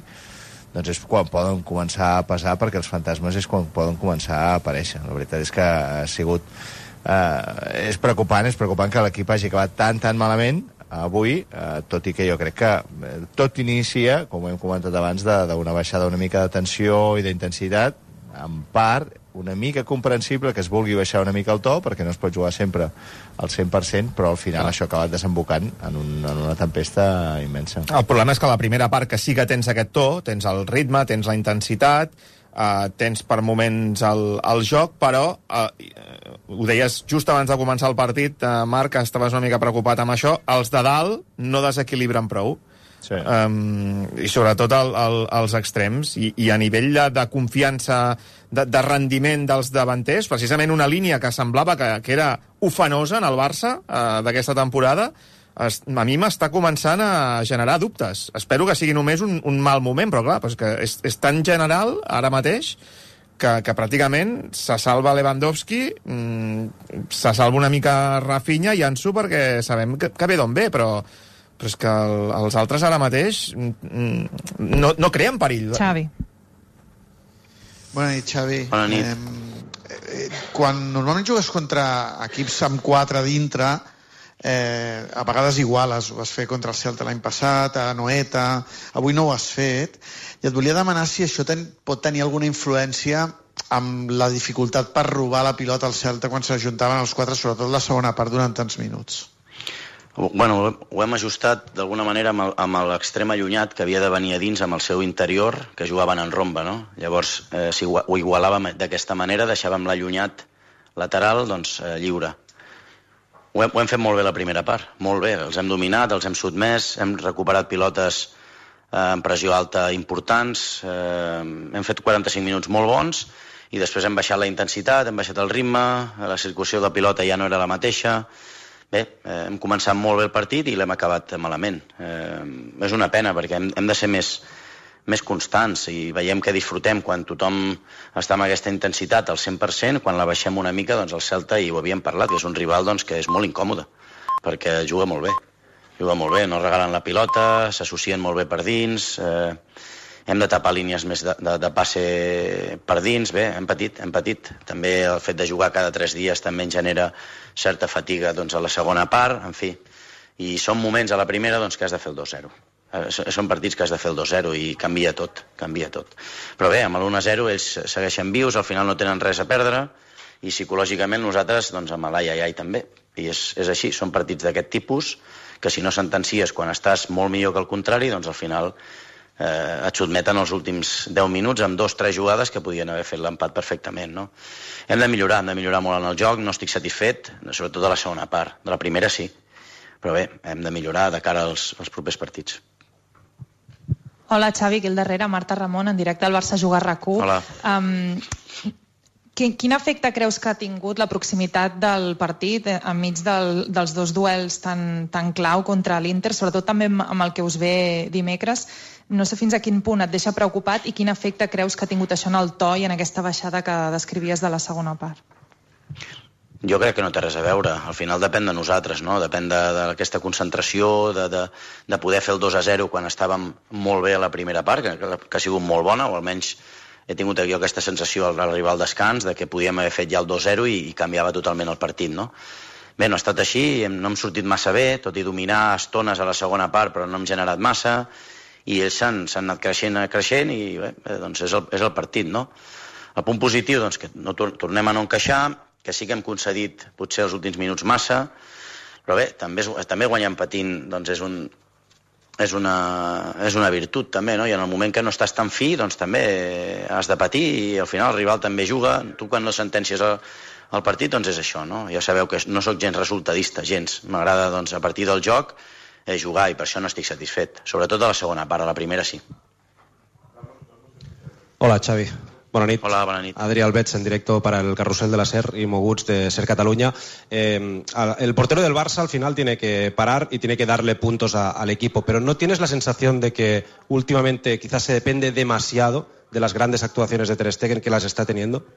doncs és quan poden començar a pesar, perquè els fantasmes és quan poden començar a aparèixer. La veritat és que ha sigut... és preocupant que l'equip hagi acabat tan malament avui, tot i que jo crec que tot inicia, com hem comentat abans, d'una baixada una mica de tensió i d'intensitat, en part una mica comprensible que es vulgui baixar una mica el to, perquè no es pot jugar sempre al 100%, però al final això ha acabat desembocant en una tempesta immensa. El problema és que la primera part que sí que tens aquest to, tens el ritme, tens la intensitat, tens per moments el joc, però ho deies just abans de començar el partit, Marc, estaves una mica preocupat amb això, els de dalt no desequilibren prou. Sí. I sobretot als extrems, i a nivell de confiança, de rendiment dels davanters, precisament una línia que semblava que era ufanosa en el Barça d'aquesta temporada, a mi m'està començant a generar dubtes. Espero que sigui només un mal moment, però clar, és que és tan general ara mateix que pràcticament se salva Lewandowski, se salva una mica Rafinha i Ansu, perquè sabem que ve d'on ve, però però és que els altres ara mateix no creen perill. Xavi. Bona nit, Xavi. Bona nit. Quan normalment jugues contra equips amb 4 dintre, a vegades iguales, ho vas fer contra el Celta l'any passat, a Noeta, avui no ho has fet, i et volia demanar si això pot tenir alguna influència amb la dificultat per robar la pilota al Celta quan s'ajuntaven els 4, sobretot la segona part, durant tants minuts. Bueno, ho hem ajustat d'alguna manera amb l'extrem allunyat que havia de venir a dins amb el seu interior, que jugaven en romba, no? Llavors, si ho igualàvem d'aquesta manera, deixàvem l'allunyat lateral lliure. Ho hem fet molt bé la primera part, molt bé. Els hem dominat, els hem sotmès, hem recuperat pilotes en pressió alta importants, hem fet 45 minuts molt bons i després hem baixat la intensitat, hem baixat el ritme, la circulació de pilota ja no era la mateixa. Bé, hem començat molt bé el partit i l'hem acabat malament. És una pena perquè hem de ser més constants i veiem que disfrutem quan tothom està amb aquesta intensitat al 100%, quan la baixem una mica, doncs el Celta, i ho havíem parlat, que és un rival que és molt incòmode, perquè juga molt bé, no regalen la pilota, s'associen molt bé per dins, hem de tapar línies més de passe per dins, bé, hem patit. També el fet de jugar cada 3 dies també ens genera certa fatiga a la segona part, en fi. I són moments a la primera que has de fer el 2-0. Són partits que has de fer el 2-0 i canvia tot. Però bé, amb l'1-0 ells segueixen vius, al final no tenen res a perdre i psicològicament nosaltres amb l'ai també. I és així, són partits d'aquest tipus que si no sentencies quan estàs molt millor que el contrari, doncs al final et sotmeten els últims 10 minuts amb 2-3 jugades que podien haver fet l'empat perfectament, no? Hem de millorar molt en el joc, no estic satisfet, sobretot de la segona part. De la primera sí, però bé, hem de millorar de cara als propers partits. Hola, Xavi, aquí al darrere, Marta Ramon, en directe al Barça Juga RAC1. Hola. Quin efecte creus que ha tingut la proximitat del partit enmig dels dos duels tan clau contra l'Inter, sobretot també amb el que us ve dimecres? No sé fins a quin punt et deixa preocupat i quin efecte creus que ha tingut això en el to i en aquesta baixada que descrivies de la segona part? Jo crec que no té res a veure. Al final depèn de nosaltres, no? Depèn d'aquesta concentració, de poder fer el 2-0 quan estàvem molt bé a la primera part, que ha sigut molt bona, o almenys he tingut jo aquesta sensació al arribar al descans de que podíem haver fet ja el 2-0 i canviava totalment el partit, no? Bé, no ha estat així, no hem sortit massa bé, tot i dominar estones a la segona part, però no hem generat massa, i ells s'han anat creixent i bé, doncs és el partit, no? El punt positiu, doncs, que no tornem a no encaixar, que sí que hem concedit potser els últims minuts massa, però bé, també guanyant patint doncs és una virtut també, no? I en el moment que no estàs tan fi, doncs també has de patir i al final el rival també juga. Tu quan no sentències el partit, doncs és això, no? Ja sabeu que no sóc gens resultadista, gens. M'agrada, doncs, a partir del joc jugar i per això no estic satisfet. Sobretot a la segona part, a la primera sí. Hola, Xavi. Bona nit. Hola, bona nit. Adri Albets, en directo para el Carrusel de la SER y Moguts de SER Cataluña. El portero del Barça al final tiene que parar y tiene que darle puntos al equipo, pero ¿no tienes la sensación de que últimamente quizás se depende demasiado de las grandes actuaciones de Ter Stegen que las está teniendo?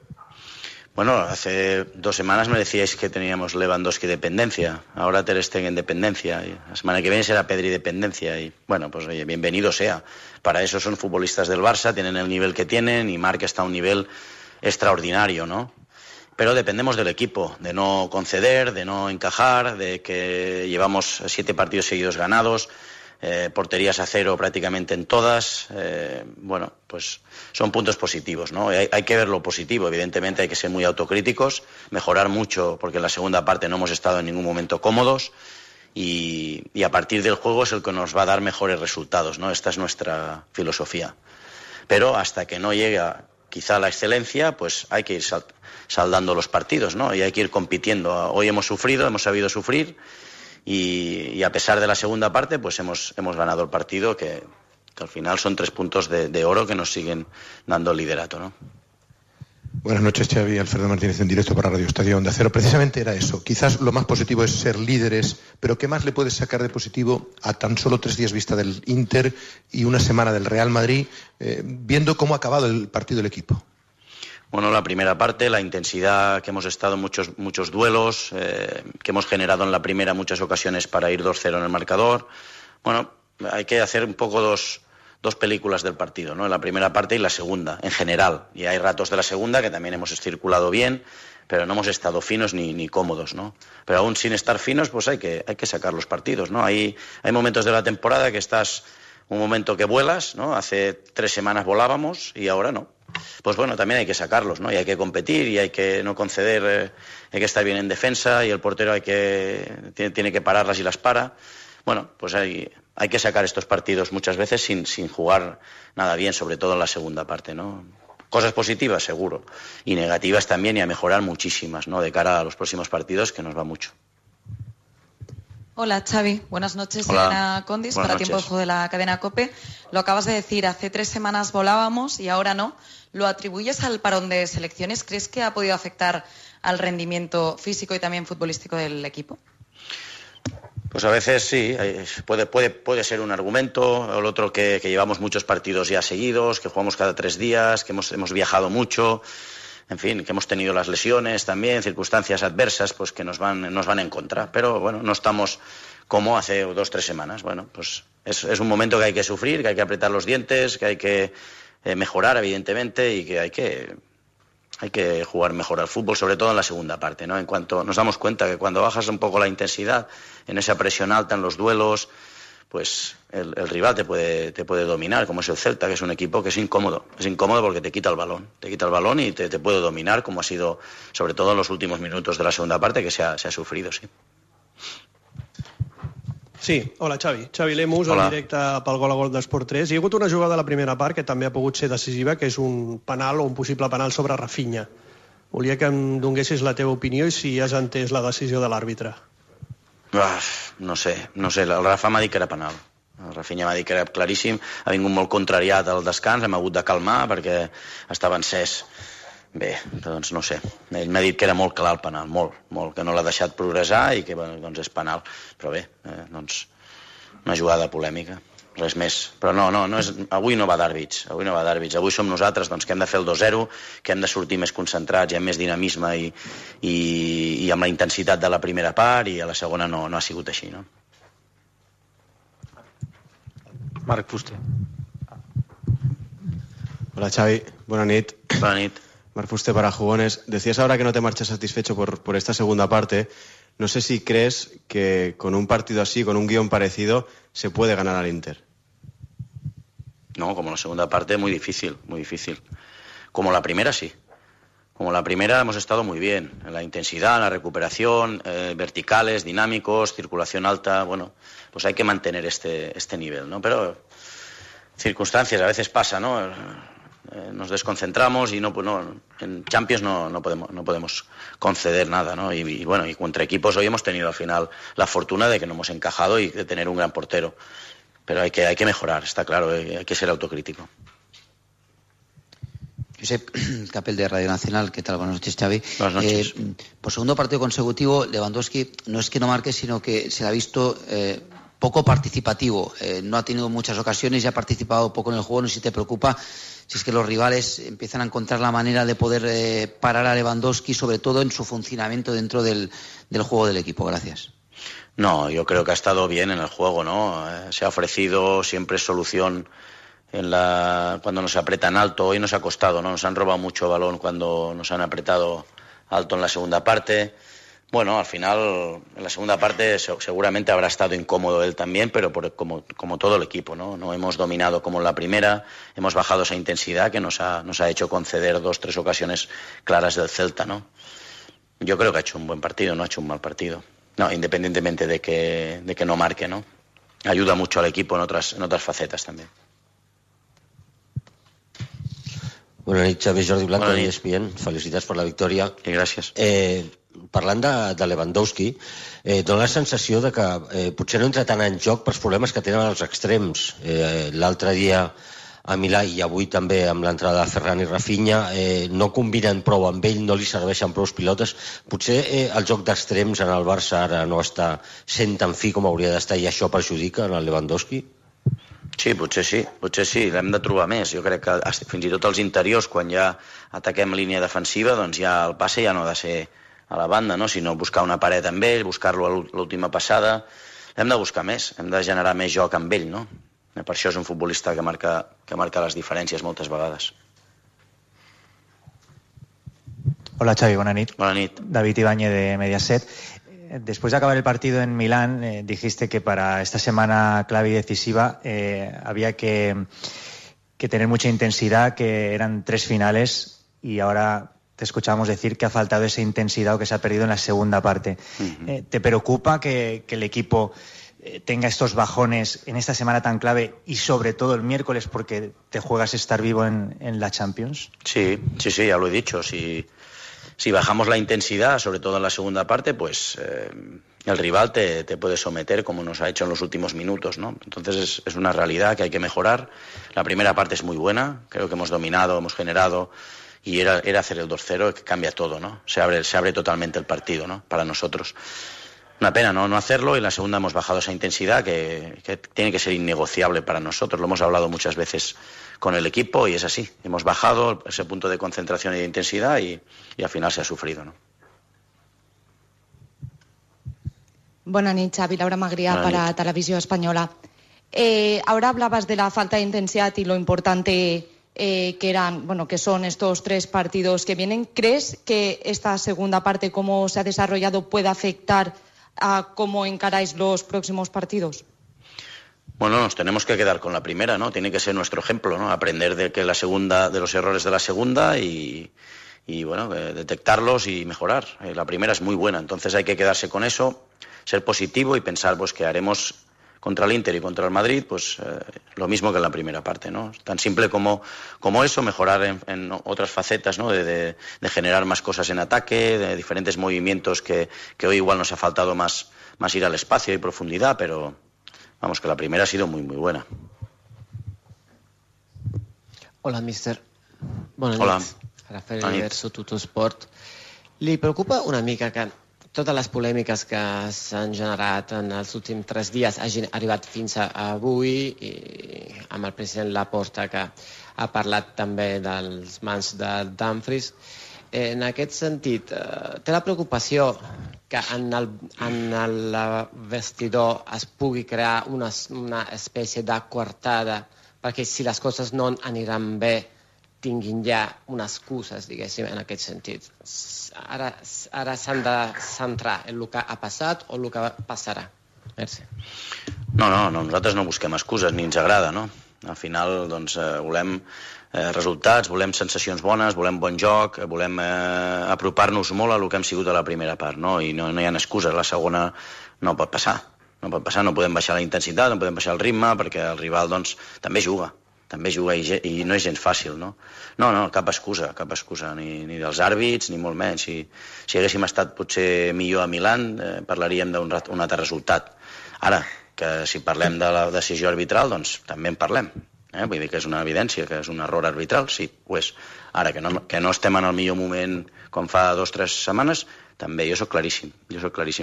Bueno, hace 2 semanas me decíais que teníamos Lewandowski dependencia, ahora Ter Stegen dependencia, y la semana que viene será Pedri dependencia, y bueno, pues oye, bienvenido sea. Para eso son futbolistas del Barça, tienen el nivel que tienen, y Marc está a un nivel extraordinario, ¿no? Pero dependemos del equipo, de no conceder, de no encajar, de que llevamos 7 partidos seguidos ganados, porterías a 0 prácticamente en todas, bueno, pues son puntos positivos, ¿no? Hay que ver lo positivo, evidentemente hay que ser muy autocríticos, mejorar mucho porque en la segunda parte no hemos estado en ningún momento cómodos y a partir del juego es el que nos va a dar mejores resultados, ¿no? Esta es nuestra filosofía. Pero hasta que no llegue quizá la excelencia, pues hay que ir saldando los partidos, ¿no? Y hay que ir compitiendo. Hoy hemos sufrido, hemos sabido sufrir y a pesar de la segunda parte, pues hemos ganado el partido que al final son 3 puntos de oro que nos siguen dando el liderato, ¿no? Buenas noches, Xavi. Alfredo Martínez en directo para Radio Estadio Onda Cero. Precisamente era eso. Quizás lo más positivo es ser líderes, pero ¿qué más le puedes sacar de positivo a tan solo 3 días vista del Inter y una semana del Real Madrid, viendo cómo ha acabado el partido del equipo? Bueno, la primera parte, la intensidad que hemos estado en muchos duelos, que hemos generado en la primera muchas ocasiones para ir 2-0 en el marcador. Bueno, hay que hacer un poco dos películas del partido, ¿no? La primera parte y la segunda, en general. Y hay ratos de la segunda que también hemos circulado bien, pero no hemos estado finos ni cómodos, ¿no? Pero aún sin estar finos, pues hay que sacar los partidos, ¿no? Hay momentos de la temporada que estás un momento que vuelas, ¿no? Hace 3 semanas volábamos y ahora no. Pues bueno, también hay que sacarlos, ¿no? Y hay que competir y hay que no conceder, hay que estar bien en defensa y el portero tiene que pararlas y las para. Bueno, pues hay que sacar estos partidos muchas veces sin jugar nada bien, sobre todo en la segunda parte, ¿no? Cosas positivas, seguro, y negativas también, y a mejorar muchísimas, ¿no? De cara a los próximos partidos, que nos va mucho. Hola, Xavi. Buenas noches. Hola. Elena Condis, Buenas para noches. Tiempo de Juego de la cadena COPE. Lo acabas de decir, hace 3 semanas volábamos y ahora no. ¿Lo atribuyes al parón de selecciones? ¿Crees que ha podido afectar al rendimiento físico y también futbolístico del equipo? Pues a veces sí, puede ser un argumento, o el otro que llevamos muchos partidos ya seguidos, que jugamos cada 3 días, que hemos viajado mucho, en fin, que hemos tenido las lesiones también, circunstancias adversas pues que nos van en contra. Pero bueno, no estamos como hace 2 o 3 semanas. Bueno, pues es un momento que hay que sufrir, que hay que apretar los dientes, que hay que mejorar, evidentemente, y que hay que jugar mejor al fútbol, sobre todo en la segunda parte, ¿no? En cuanto nos damos cuenta que cuando bajas un poco la intensidad en esa presión alta en los duelos, pues el rival te puede dominar, como es el Celta, que es un equipo que es incómodo porque te quita el balón y te puede dominar, como ha sido sobre todo en los últimos minutos de la segunda parte, que se ha sufrido, sí. Sí, hola Xavi. Xavi Lemus, Hola. en directe pel Gol a Gol d'Esport 3. Hi ha hagut una jugada a la primera part que també ha pogut ser decisiva, que és un penal o un possible penal sobre Rafinha. Volia que em donessis la teva opinió i si has entès la decisió de l'àrbitre. No sé, el Rafa m'ha dit que era penal. El Rafinha m'ha dit que era claríssim, ha vingut molt contrariat al descans, hem hagut de calmar perquè estava encès. Bé, doncs no sé, ell m'ha dit que era molt clar el penal, molt, que no l'ha deixat progressar i que doncs és penal, però bé, doncs una jugada polèmica, res més. Però no és, avui no va d'àrbits, avui som nosaltres doncs, que hem de fer el 2-0, que hem de sortir més concentrats i amb més dinamisme i amb la intensitat de la primera part, i a la segona no ha sigut així, no? Marc Fuster. Hola Xavi, buena nit. Buena nit. Marc Fuster para Jugones. Decías ahora que no te marchas satisfecho por esta segunda parte. No sé si crees que con un partido así, con un guión parecido, se puede ganar al Inter. No, como la segunda parte, muy difícil, muy difícil. Como la primera, sí. Como la primera hemos estado muy bien. En la intensidad, en la recuperación, verticales, dinámicos, circulación alta. Bueno, pues hay que mantener este nivel, ¿no? Pero circunstancias, a veces pasa, ¿no? Nos desconcentramos y en Champions no podemos conceder nada, ¿no? Y bueno, y contra equipos hoy hemos tenido al final la fortuna de que no hemos encajado y de tener un gran portero. Pero hay que mejorar, está claro, hay que ser autocrítico. Josep Capel de Radio Nacional, ¿qué tal? Buenas noches, Xavi. Buenas noches. Por segundo partido consecutivo, Lewandowski no es que no marque, sino que se le ha visto poco participativo. No ha tenido muchas ocasiones y ha participado poco en el juego. No sé si te preocupa si es que los rivales empiezan a encontrar la manera de poder parar a Lewandowski, sobre todo en su funcionamiento dentro del juego del equipo. Gracias. No, yo creo que ha estado bien en el juego, ¿no? Se ha ofrecido siempre solución cuando nos apretan alto. Hoy nos ha costado, ¿no? Nos han robado mucho balón cuando nos han apretado alto en la segunda parte. Bueno, al final, en la segunda parte seguramente habrá estado incómodo él también, pero como todo el equipo, ¿no? No hemos dominado como en la primera, hemos bajado esa intensidad que nos ha hecho conceder 2 o 3 ocasiones claras del Celta, ¿no? Yo creo que ha hecho un buen partido, no ha hecho un mal partido. No, independientemente de que no marque, ¿no? Ayuda mucho al equipo en otras facetas también. Bona nit, Xavi, Jordi Blanco, de ESPN. Felicitats per la victòria. I gràcies. Parlant de Lewandowski, dona la sensació de que potser no entra tant en joc pels problemes que tenen els extrems. L'altre dia a Milà i avui també amb l'entrada de Ferran i Rafinha no combinen prou amb ell, no li serveixen prou pilotes. Potser el joc d'extrems en el Barça ara no està sent tan fi com hauria d'estar i això perjudica en el Lewandowski? Sí, potser sí, l'hem de trobar més. Jo crec que fins i tot als interiors, quan ja ataquem línia defensiva, doncs ja el passe ja no ha de ser a la banda, no? Sinó buscar una paret amb ell, buscar-lo a l'última passada. hem de buscar més, hem de generar més joc amb ell, no? Per això és un futbolista que marca les diferències moltes vegades. Hola Xavi, buena nit. Buena nit. David Ibáñez de Mediaset. Después de acabar el partido en Milán, dijiste que para esta semana clave y decisiva había que tener mucha intensidad, que eran 3 finales, y ahora te escuchábamos decir que ha faltado esa intensidad o que se ha perdido en la segunda parte. ¿Te preocupa que el equipo tenga estos bajones en esta semana tan clave y sobre todo el miércoles porque te juegas estar vivo en la Champions? Sí, ya lo he dicho. Si bajamos la intensidad, sobre todo en la segunda parte, pues el rival te puede someter como nos ha hecho en los últimos minutos, ¿no? Entonces es una realidad que hay que mejorar. La primera parte es muy buena, creo que hemos dominado, hemos generado, y era hacer el 2-0 que cambia todo, ¿no? Se abre totalmente el partido, ¿no? Para nosotros. Una pena no hacerlo, y en la segunda hemos bajado esa intensidad que tiene que ser innegociable para nosotros. Lo hemos hablado muchas veces con el equipo y es así. Hemos bajado ese punto de concentración y de intensidad y al final se ha sufrido, ¿no? Buenas noches, Xavi. Laura Magrià para Televisión Española. Ahora hablabas de la falta de intensidad y lo importante que son estos 3 partidos que vienen. ¿Crees que esta segunda parte, cómo se ha desarrollado, puede afectar a cómo encaráis los próximos partidos? Bueno, nos tenemos que quedar con la primera, ¿no? Tiene que ser nuestro ejemplo, ¿no? Aprender de los errores de la segunda y bueno, detectarlos y mejorar. La primera es muy buena, entonces hay que quedarse con eso, ser positivo y pensar pues que haremos contra el Inter y contra el Madrid pues lo mismo que en la primera parte, ¿no? Tan simple como eso, mejorar en otras facetas, ¿no? De generar más cosas en ataque, de diferentes movimientos que hoy igual nos ha faltado más ir al espacio y profundidad, pero vamos, que la primera ha sido muy, muy buena. Hola, míster. Bona Hola. nit. Rafael Verso, Tuttosport. Li preocupa una mica que totes les polèmiques que s'han generat en els últims 3 dies hagin arribat fins a avui, i amb el president Laporta, que ha parlat també dels mans de Dumfries. En aquest sentit, té la preocupació que en el vestidor es pugui crear una espècie de coartada perquè si les coses no aniran bé tinguin ja unes excuses, diguéssim, en aquest sentit. Ara s'han de centrar en el que ha passat o el que passarà. Merci. No, nosaltres no busquem excuses, ni ens agrada, no? Al final, doncs, volem resultats, volem sensacions bones, volem bon joc, volem apropar-nos molt a el que hem sigut a la primera part, no? I no hi ha excuses, la segona no pot passar. No podem baixar la intensitat, no podem baixar el ritme, perquè el rival, doncs, també juga i no és gens fàcil, no? No, cap excusa, ni dels àrbits, ni molt menys. Si haguéssim estat potser millor a Milán, parlaríem d'un altre resultat. Ara, que si parlem de la decisió arbitral, doncs també en parlem. Vull dir que és una evidència, que és un error arbitral, sí, ho és. Ara, que no estem en el millor moment com fa 2 o 3 setmanes, també, jo sóc claríssim,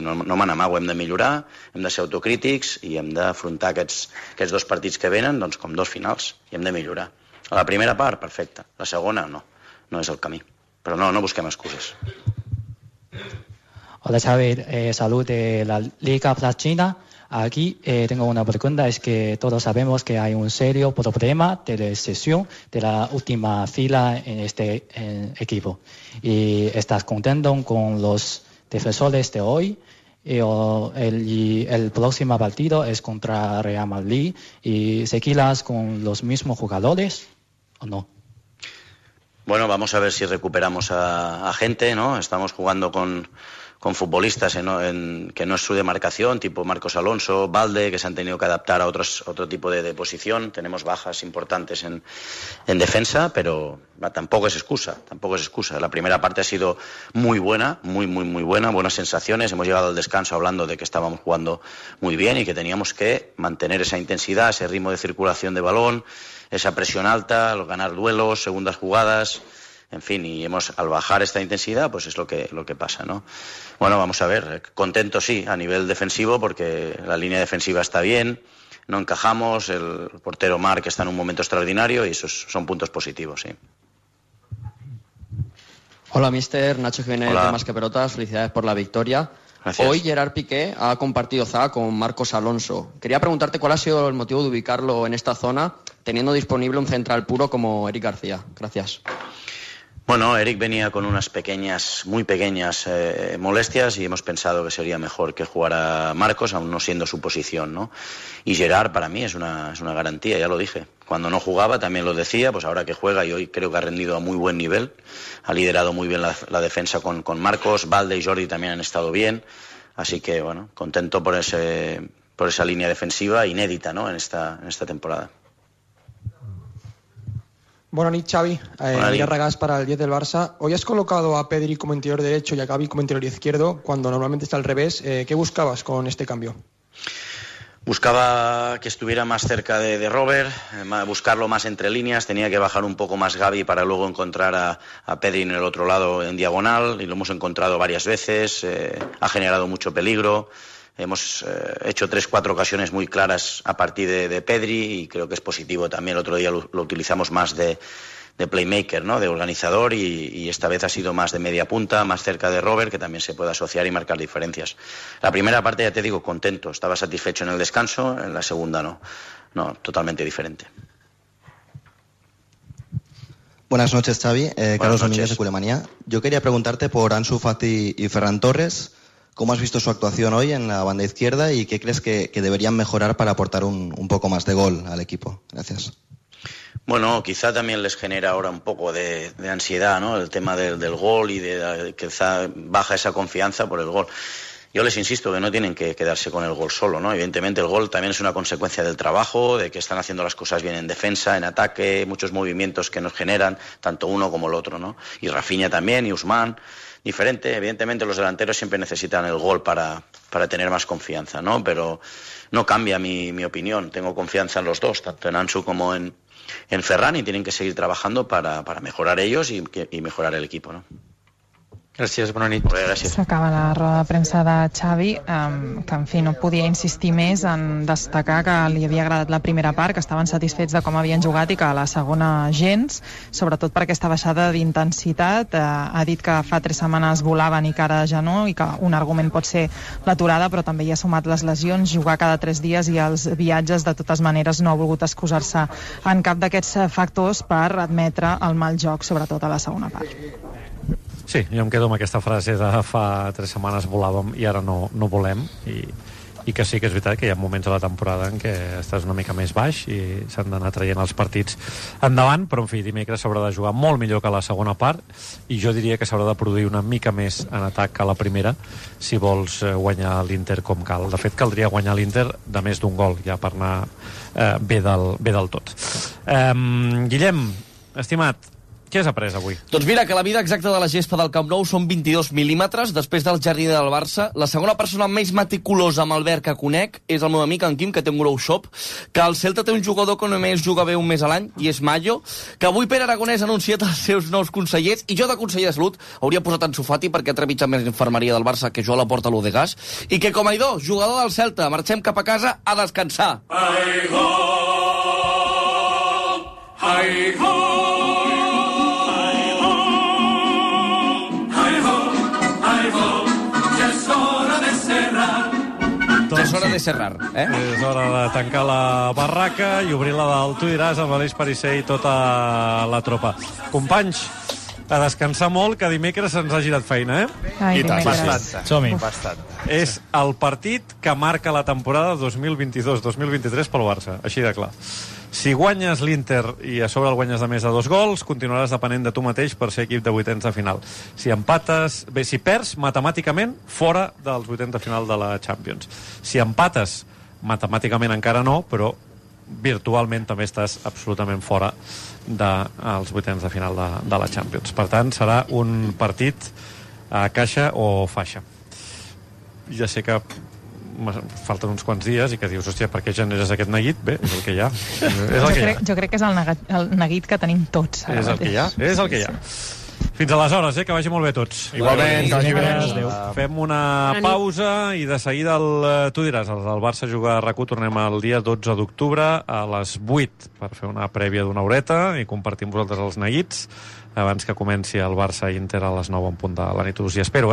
no me n'amago, hem de millorar, hem de ser autocrítics i hem d'afrontar aquests 2 partits que venen doncs, com 2 finals, i hem de millorar. A la primera part, perfecte, la segona no és el camí, però no busquem excuses. Hola Xavi, salud de la Liga China. Aquí tengo una pregunta, es que todos sabemos que hay un serio problema de recesión de la última fila en este equipo. ¿Y estás contento con los defensores de hoy? Y el próximo partido es contra Real Madrid. ¿Y seguirás con los mismos jugadores o no? Bueno, vamos a ver si recuperamos a gente, ¿no? Estamos jugando con futbolistas que no es su demarcación, tipo Marcos Alonso, Balde, que se han tenido que adaptar a otro tipo de posición. Tenemos bajas importantes en defensa, pero tampoco es excusa. La primera parte ha sido muy buena, muy buena, buenas sensaciones. Hemos llegado al descanso hablando de que estábamos jugando muy bien y que teníamos que mantener esa intensidad, ese ritmo de circulación de balón, esa presión alta, ganar duelos, segundas jugadas. En fin, y al bajar esta intensidad, pues es lo que pasa, ¿no? Bueno, vamos a ver, contento sí, a nivel defensivo, porque la línea defensiva está bien, no encajamos, el portero Marc está en un momento extraordinario y esos son puntos positivos, sí. Hola, mister, Nacho Jiménez de Más que Pelotas, felicidades por la victoria. Gracias. Hoy Gerard Piqué ha compartido zaga con Marcos Alonso. Quería preguntarte cuál ha sido el motivo de ubicarlo en esta zona, teniendo disponible un central puro como Eric García. Gracias. Bueno, Eric venía con unas muy pequeñas molestias y hemos pensado que sería mejor que jugara Marcos, aún no siendo su posición, ¿no? Y Gerard para mí es una garantía, ya lo dije. Cuando no jugaba también lo decía, pues ahora que juega y hoy creo que ha rendido a muy buen nivel, ha liderado muy bien la defensa con Marcos, Valde y Jordi también han estado bien, así que bueno, contento por esa línea defensiva inédita, ¿no? en esta temporada. Buenas noches, Xavi. Adrián Regás para el 10 del Barça. Hoy has colocado a Pedri como interior derecho y a Gavi como interior izquierdo, cuando normalmente está al revés. ¿Qué buscabas con este cambio? Buscaba que estuviera más cerca de Robert, buscarlo más entre líneas, tenía que bajar un poco más Gavi para luego encontrar a Pedri en el otro lado en diagonal, y lo hemos encontrado varias veces, ha generado mucho peligro. Hemos hecho 3-4 ocasiones muy claras a partir de Pedri y creo que es positivo también. El otro día lo utilizamos más de playmaker, ¿no? De organizador y esta vez ha sido más de media punta, más cerca de Robert, que también se puede asociar y marcar diferencias. La primera parte, ya te digo, contento. Estaba satisfecho en el descanso, en la segunda no. No, totalmente diferente. Buenas noches, Xavi. Carlos Domínguez de Culemanía. Yo quería preguntarte por Ansu Fati y Ferran Torres. ¿Cómo has visto su actuación hoy en la banda izquierda y qué crees que deberían mejorar para aportar un poco más de gol al equipo? Gracias. Bueno, quizá también les genera ahora un poco de ansiedad, ¿no? El tema del gol y quizá baja esa confianza por el gol. Yo les insisto que no tienen que quedarse con el gol solo, ¿no? Evidentemente el gol también es una consecuencia del trabajo, de que están haciendo las cosas bien en defensa, en ataque, muchos movimientos que nos generan, tanto uno como el otro, ¿no? Y Rafinha también, y Ousmane. Diferente, evidentemente los delanteros siempre necesitan el gol para tener más confianza, ¿no? Pero no cambia mi opinión, tengo confianza en los dos, tanto en Ansu como en Ferran, y tienen que seguir trabajando para mejorar ellos y mejorar el equipo, ¿no? Gràcies, bona nit. Gràcies. S'acaba la roda de premsa de Xavi, que en fi no podia insistir més en destacar que li havia agradat la primera part, que estaven satisfets de com havien jugat i que a la segona gens, sobretot per aquesta baixada d'intensitat. Ha dit que fa 3 setmanes volaven i que ara ja no, i que un argument pot ser l'aturada, però també hi ha sumat les lesions, jugar cada 3 dies i els viatges. De totes maneres no ha volgut excusar-se en cap d'aquests factors per admetre el mal joc, sobretot a la segona part. Sí, jo em quedo amb aquesta frase de fa 3 setmanes volàvem i ara no volem, i que sí que és veritat que hi ha moments de la temporada en què estàs una mica més baix i s'han d'anar traient els partits endavant, però en fi, dimecres s'haurà de jugar molt millor que la segona part i jo diria que s'haurà de produir una mica més en atac que la primera si vols guanyar l'Inter com cal. De fet, caldria guanyar l'Inter de més d'un gol ja per anar bé del tot. Guillem, estimat, què has après avui? Doncs mira, que la mida exacta de la gespa del Camp Nou són 22 mil·límetres, després del jardí del Barça. La segona persona més meticulosa amb el verd que conec és el meu amic en Quim, que té un grow shop, que el Celta té un jugador que només juga bé un mes a l'any, i és Mallo, que avui Pere Aragonès ha anunciat els seus nous consellers, i jo de conseller de Salut hauria posat Ansu Fati perquè ha trepitjat més infermeria del Barça que jo a la porta l'Odegas, i que com a idò, jugador del Celta, marxem cap a casa a descansar. Ai-ho! Ai-ho! És hora de cerrar, eh? És hora de tancar la barraca i obrir la del Tu diràs amb Aleix Parisser i tota la tropa. Companys, a descansar molt, que dimecres se'ns ha girat feina, eh? Ai, I tant, dimecres. som-hi. Bastant. És el partit que marca la temporada 2022-2023 pel Barça, així de clar. Si guanyes l'Inter i a sobre el guanyes de més de 2 gols, continuaràs depenent de tu mateix per ser equip de vuitens de final. Si empates... Bé, si perds, matemàticament, fora dels vuitens de final de la Champions. Si empates, matemàticament encara no, però virtualment també estàs absolutament fora dels vuitens de final de la Champions. Per tant, serà un partit a caixa o faixa. Ja sé que falten uns quants dies i que dius, hòstia, per què generes aquest neguit? Bé, és el que hi ha. Jo crec que és el neguit que tenim tots. És el que hi ha. És el que hi ha. Fins aleshores, que vagi molt bé tots. Igualment, que vagi bé. Fem una pausa i de seguida tu diràs, el Barça juga a RAC1, tornem el dia 12 d'octubre a les 8 per fer una prèvia d'una horeta i compartir amb vosaltres els neguits abans que comenci el Barça-Inter a les 9 en punt de la nit. Us hi espero,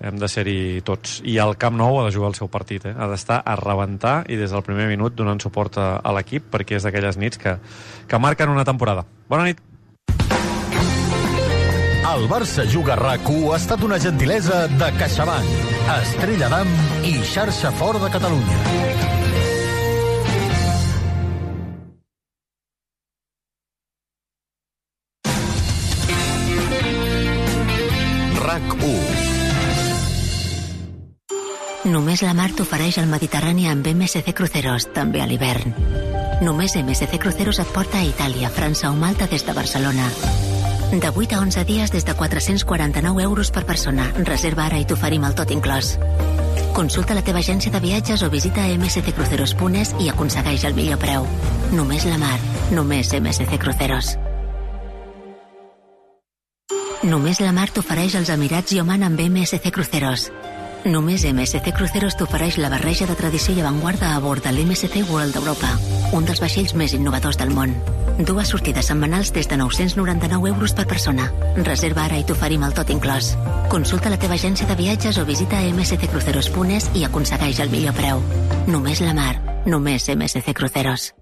hem de ser-hi tots. I el Camp Nou ha de jugar el seu partit, ha d'estar a rebentar i des del primer minut donant suport a l'equip, perquè és d'aquelles nits que marquen una temporada. Bona nit. El Barça Juga a RAC1 ha estat una gentilesa de CaixaBank, Estrella d'Am i Xarxa Fort de Catalunya. RAC1. Només la mar t'ofereix el Mediterrani amb MSC Cruceros, també a l'hivern. Només MSC Cruceros et porta a Itàlia, França o Malta des de Barcelona. De 8 a 11 dies des de 449 euros per persona. Reserva ara i t'oferim el tot inclòs. Consulta la teva agència de viatges o visita msccruceros.es i aconsegueix el millor preu. Només la mar, només MSC Cruceros. Només la mar t'ofereix els Emirats i Oman amb MSC Cruceros. Només MSC Cruceros t'ofereix la barreja de tradició i avantguarda a bord de l'MSC World Europa, un dels vaixells més innovadors del món. 2 sortides setmanals des de 999 euros per persona. Reserva ara i t'oferim el tot inclòs. Consulta la teva agència de viatges o visita msccruceros.es i aconsegueix el millor preu. Només la mar, només MSC Cruceros.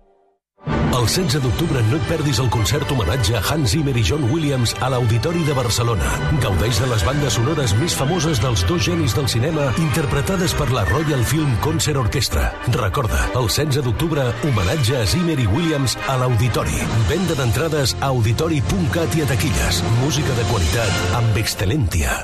El 16 d'octubre no et perdis el concert homenatge a Hans Zimmer i John Williams a l'Auditori de Barcelona. Gaudeix de les bandes sonores més famoses dels dos genis del cinema interpretades per la Royal Film Concert Orchestra. Recorda, el 16 d'octubre, homenatge a Zimmer i Williams a l'Auditori. Venda d'entrades a auditori.cat i a taquilles. Música de qualitat amb Excelentia.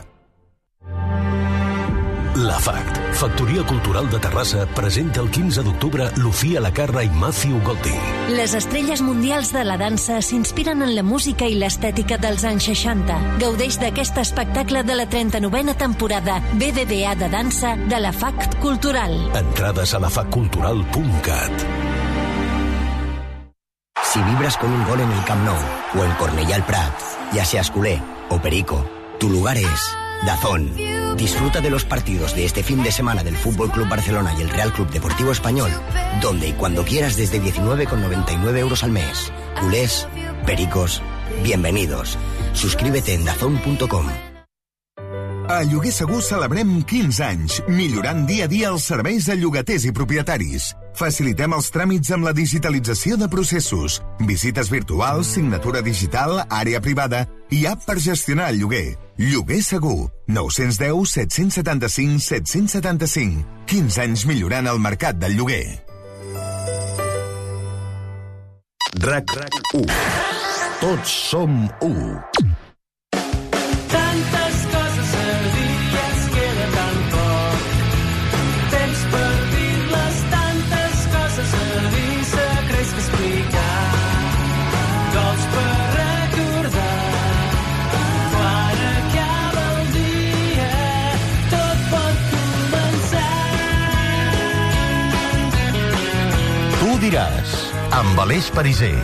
La FACT, Factoria Cultural de Terrassa, presenta el 15 d'octubre Lucía Lacarra i Matthew Golding. Les estrelles mundials de la dansa s'inspiren en la música i l'estètica dels anys 60. Gaudeix d'aquest espectacle de la 39a temporada BBVA de dansa de la FACT Cultural. Entrades a lafactcultural.cat. Si vibras con un gol en el Camp Nou o en Cornellà el Prat, ya seas culé o perico, tu lugar es DAZN. Disfruta de los partidos de este fin de semana del Fútbol Club Barcelona y el Real Club Deportivo Español, donde y cuando quieras desde 19,99 euros al mes. Culés, pericos, bienvenidos. Suscríbete en dazn.com. A Lloguer Segur celebrem 15 anys, millorant dia a dia els serveis de llogaters i propietaris. Facilitem els tràmits amb la digitalització de processos, visites virtuals, signatura digital, àrea privada i app per gestionar el lloguer. Lloguer Segur. 910 775 775. 15 anys millorant el mercat del lloguer. RAC1. Tots som u. Tantes coses a dir i ens queda tan poc. Temps per dir-les, tantes coses a dir, secrets que explicar, gols per recordar. Quan acaba el dia, tot pot començar. Tu diràs, amb Aleix Pariser.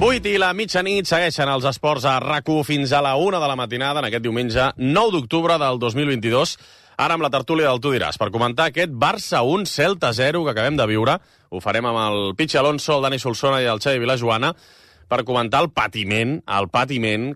8 i la mitjanit segueixen els esports a RAC1 fins a la 1 de la matinada en aquest diumenge 9 d'octubre del 2022. Ara amb la tertúlia del Tu diràs, per comentar aquest Barça 1, Celta 0 que acabem de viure. Ho farem amb el Pichi Alonso, el Dani Solsona i el Xavi Vilajoana per comentar el patiment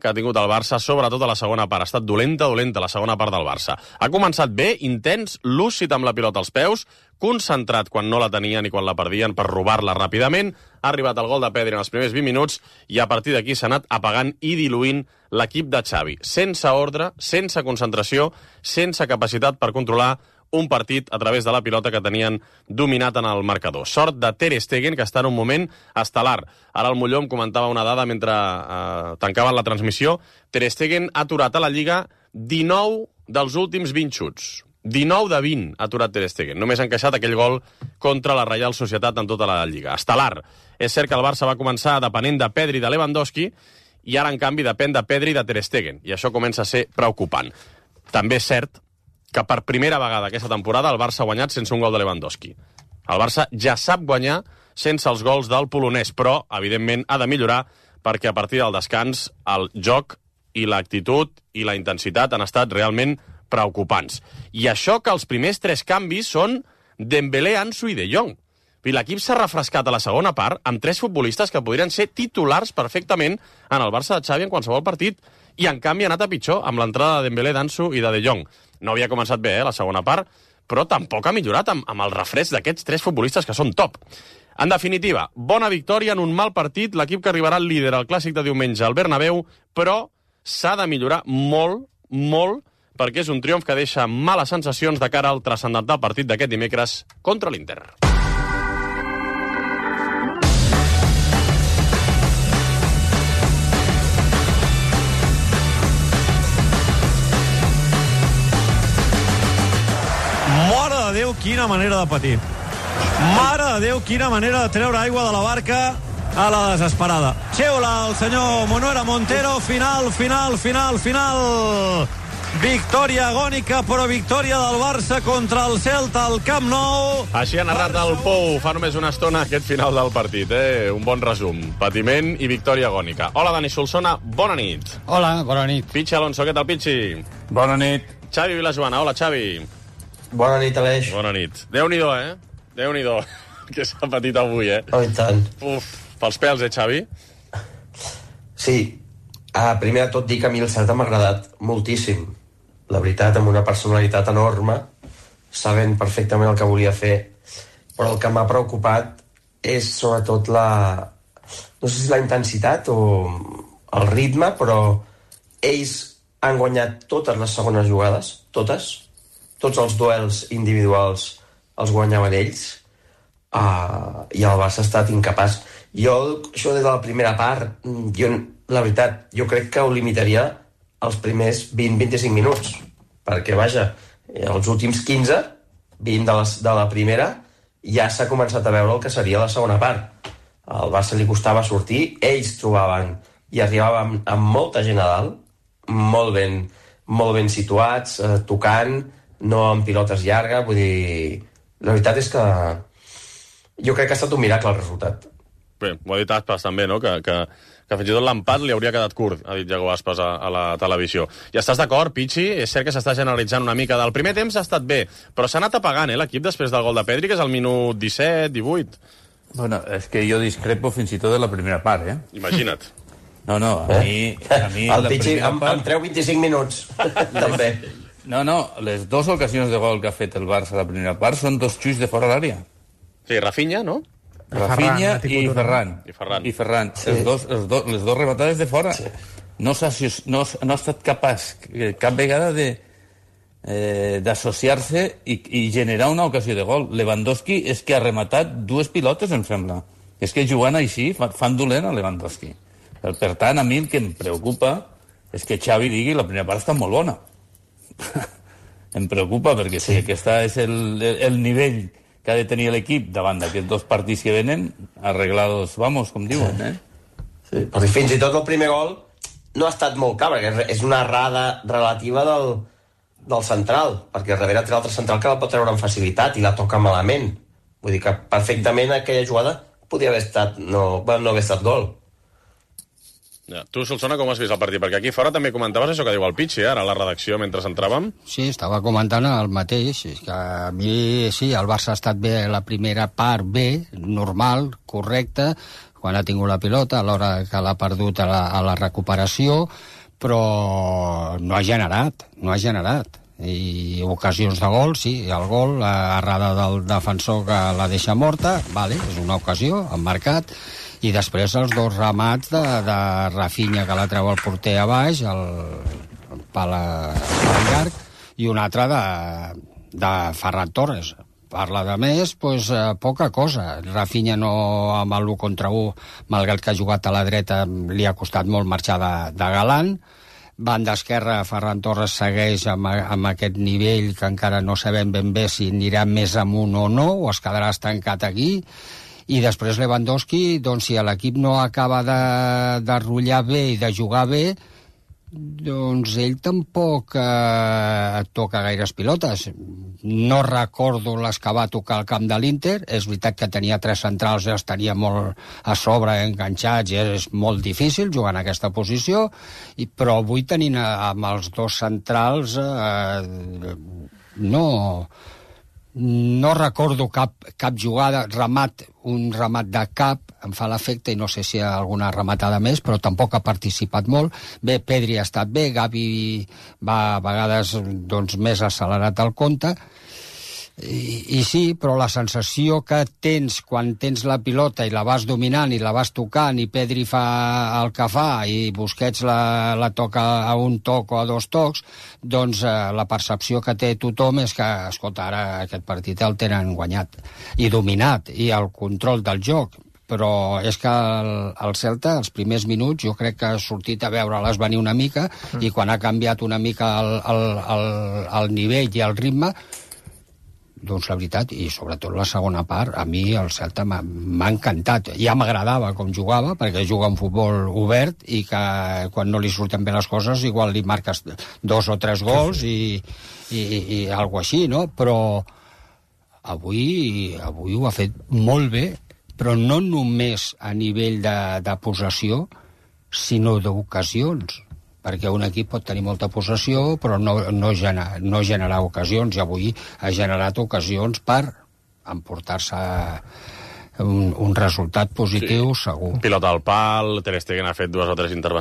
que ha tingut el Barça, sobretot a la segona part. Ha estat dolenta la segona part del Barça. Ha començat bé, intens, lúcid amb la pilota als peus, concentrat quan no la tenien i quan la perdien per robar-la ràpidament. Ha arribat el gol de Pedri en els primers 20 minuts i a partir d'aquí s'ha anat apagant i diluint l'equip de Xavi. Sense ordre, sense concentració, sense capacitat per controlar un partit a través de la pilota que tenien dominat en el marcador. Sort de Ter Stegen, que està en un moment estel·lar. Ara el Molló em comentava una dada mentre tancaven la transmissió. Ter Stegen ha aturat a la Lliga 19 dels últims 20 xuts. 19 de 20 ha aturat Ter Stegen. Només ha encaixat aquell gol contra la Reial Societat en tota la Lliga. Estel·lar. És cert que el Barça va començar depenent de Pedri i de Lewandowski i ara, en canvi, depèn de Pedri i de Ter Stegen. I això comença a ser preocupant. També és cert que per primera vegada aquesta temporada el Barça ha guanyat sense un gol de Lewandowski. El Barça ja sap guanyar sense els gols del polonès, però, evidentment, ha de millorar perquè a partir del descans el joc i l'actitud i la intensitat han estat realment preocupants. I això que els primers 3 canvis són Dembélé, Ansu i De Jong. I l'equip s'ha refrescat a la segona part amb 3 futbolistes que podrien ser titulars perfectament en el Barça de Xavi en qualsevol partit, i en canvi ha anat a pitjor amb l'entrada de Dembélé, d'Ansu i de Jong. No havia començat bé, la segona part, però tampoc ha millorat amb el refresc d'aquests 3 futbolistes que són top. En definitiva, bona victòria en un mal partit, l'equip que arribarà al líder al clàssic de diumenge al Bernabéu, però s'ha de millorar molt, molt, perquè és un triomf que deixa males sensacions de cara al transcendental partit d'aquest dimecres contra l'Inter. Mare de Déu, quina manera de patir. Mare de Déu, quina manera de treure aigua de la barca a la desesperada. Xiula el senyor Manuel Montero, final. Victòria agònica, però victòria del Barça contra el Celta al Camp Nou. Així ha narrat el Pou fa només una estona aquest final del partit. Un bon resum. Patiment i victòria agònica. Hola, Dani Solsona, bona nit. Hola, bona nit. Pichi Alonso, què tal, Pichi? Bona nit. Xavi Vilajoana, hola, Xavi. Bona nit, Aleix. Bona nit. Déu-n'hi-do, Déu-n'hi-do, que s'ha patit avui, Oh, i tant. Uf, pels pèls, Xavi? Sí. Primer de tot dir que a mi el Celta m'ha agradat moltíssim. La veritat, amb una personalitat enorme, sabent perfectament el que volia fer. Però el que m'ha preocupat és sobretot no sé si la intensitat o el ritme, però ells han guanyat totes les segones jugades, totes. Tots els duels individuals els guanyaven ells, i el Barça ha estat incapaç. Jo, això des de la primera part, la veritat, jo crec que ho limitaria els primers 20-25 minuts, perquè, vaja, els últims 15, 20 de la primera, ja s'ha començat a veure el que seria la segona part. Al Barça li costava sortir, ells trobaven i arribaven amb molta gent a dalt, molt ben situats, tocant, no amb pilotes llargues, vull dir... La veritat és que jo crec que ha estat un miracle el resultat. Bé, ho ha dit Aspas també, no? Que fins i tot l'empat li hauria quedat curt, ha dit Iago Aspas a la televisió. I estàs d'acord, Pichi? És cert que s'està generalitzant una mica. Del primer temps ha estat bé, però s'ha anat apagant, l'equip després del gol de Pedri, que és al minut 17, 18. Bueno, és que jo discrepo fins i tot de la primera part, Imagina't. No, a mi el Pichi em treu 25 minuts, també. No, les dues ocasions de gol que ha fet el Barça a la primera part són 2 xuis de fora l'àrea. Sí, Rafinha, no? Rafinha i Ferran. I Ferran. Sí. Les dos rematades de fora. Sí. No ha estat capaç cap vegada d'associar-se i generar una ocasió de gol. Lewandowski és que ha rematat 2 pilotes, em sembla. És que jugant així fan dolent a Lewandowski. Per tant, a mi el que em preocupa és que Xavi digui la primera part està molt bona. Em preocupa perquè si aquest és el nivell que ha de tenir l'equip davant d'aquests 2 partits que venen, arreglados, vamos, com diuen, Sí, però fins i tot el primer gol no ha estat molt clar, perquè és una errada relativa del central, perquè darrere té l'altre central que la pot treure amb facilitat i la toca malament. Vull dir que perfectament aquella jugada podia haver estat, no haver estat gol. Ja. Tu, Solsona, com has vist el partit? Perquè aquí fora també comentaves això que diu el Pichi, ara a la redacció, mentre entràvem. Sí, estava comentant el mateix. És que a mi, sí, el Barça ha estat bé la primera part, bé, normal, correcte, quan ha tingut la pilota, a l'hora que l'ha perdut a la recuperació, però no ha generat. I ocasions de gol, sí, el gol, errada del defensor que la deixa morta, vale, és una ocasió, han marcat, i després els 2 ramats de Rafinha, que la treu el porter a baix, el pal llarg, i un altre de Ferran Torres. Parla de més, doncs poca cosa. Rafinha no, amb l'1 contra 1, malgrat que ha jugat a la dreta, li ha costat molt marxar de galant. Banda esquerra, Ferran Torres segueix amb aquest nivell que encara no sabem ben bé si anirà més amunt o no, o es quedarà estancat aquí. I després Lewandowski, doncs si l'equip no acaba de rotllar bé i de jugar bé, doncs ell tampoc toca gaires pilotes. No recordo les que va tocar al camp de l'Inter. És veritat que tenia 3 centrals i els tenia molt a sobre enganxats i és molt difícil jugar en aquesta posició, però avui tenint amb els 2 centrals No recordo cap jugada, un remat de cap, em fa l'efecte, i no sé si hi ha alguna rematada més, però tampoc ha participat molt. Bé, Pedri ha estat bé, Gavi va a vegades doncs, més accelerat al compte, i sí, però la sensació que tens quan tens la pilota i la vas dominant i la vas tocant i Pedri fa el que fa i Busquets la toca a un toc o a dos tocs, doncs la percepció que té tothom és que, escolta, ara aquest partit el tenen guanyat i dominat, i el control del joc. Però és que el Celta, els primers minuts, jo crec que ha sortit a veure-les venir una mica, i quan ha canviat una mica el nivell i el ritme, doncs la veritat, i sobretot la segona part, a mi el Celta m'ha encantat. Ja m'agradava com jugava, perquè juga un futbol obert i que quan no li surten bé les coses igual li marques 2 o 3 gols i alguna així, no? Però avui ho ha fet molt bé, però no només a nivell de possessió, sinó d'ocasions, perquè un equip pot tenir molta possessió però no generar ocasions, i avui ha generat ocasions per emportar-se un resultat positiu, segur. Pilota al pal, Ter Stegen ha fet 2 o 3 intervencions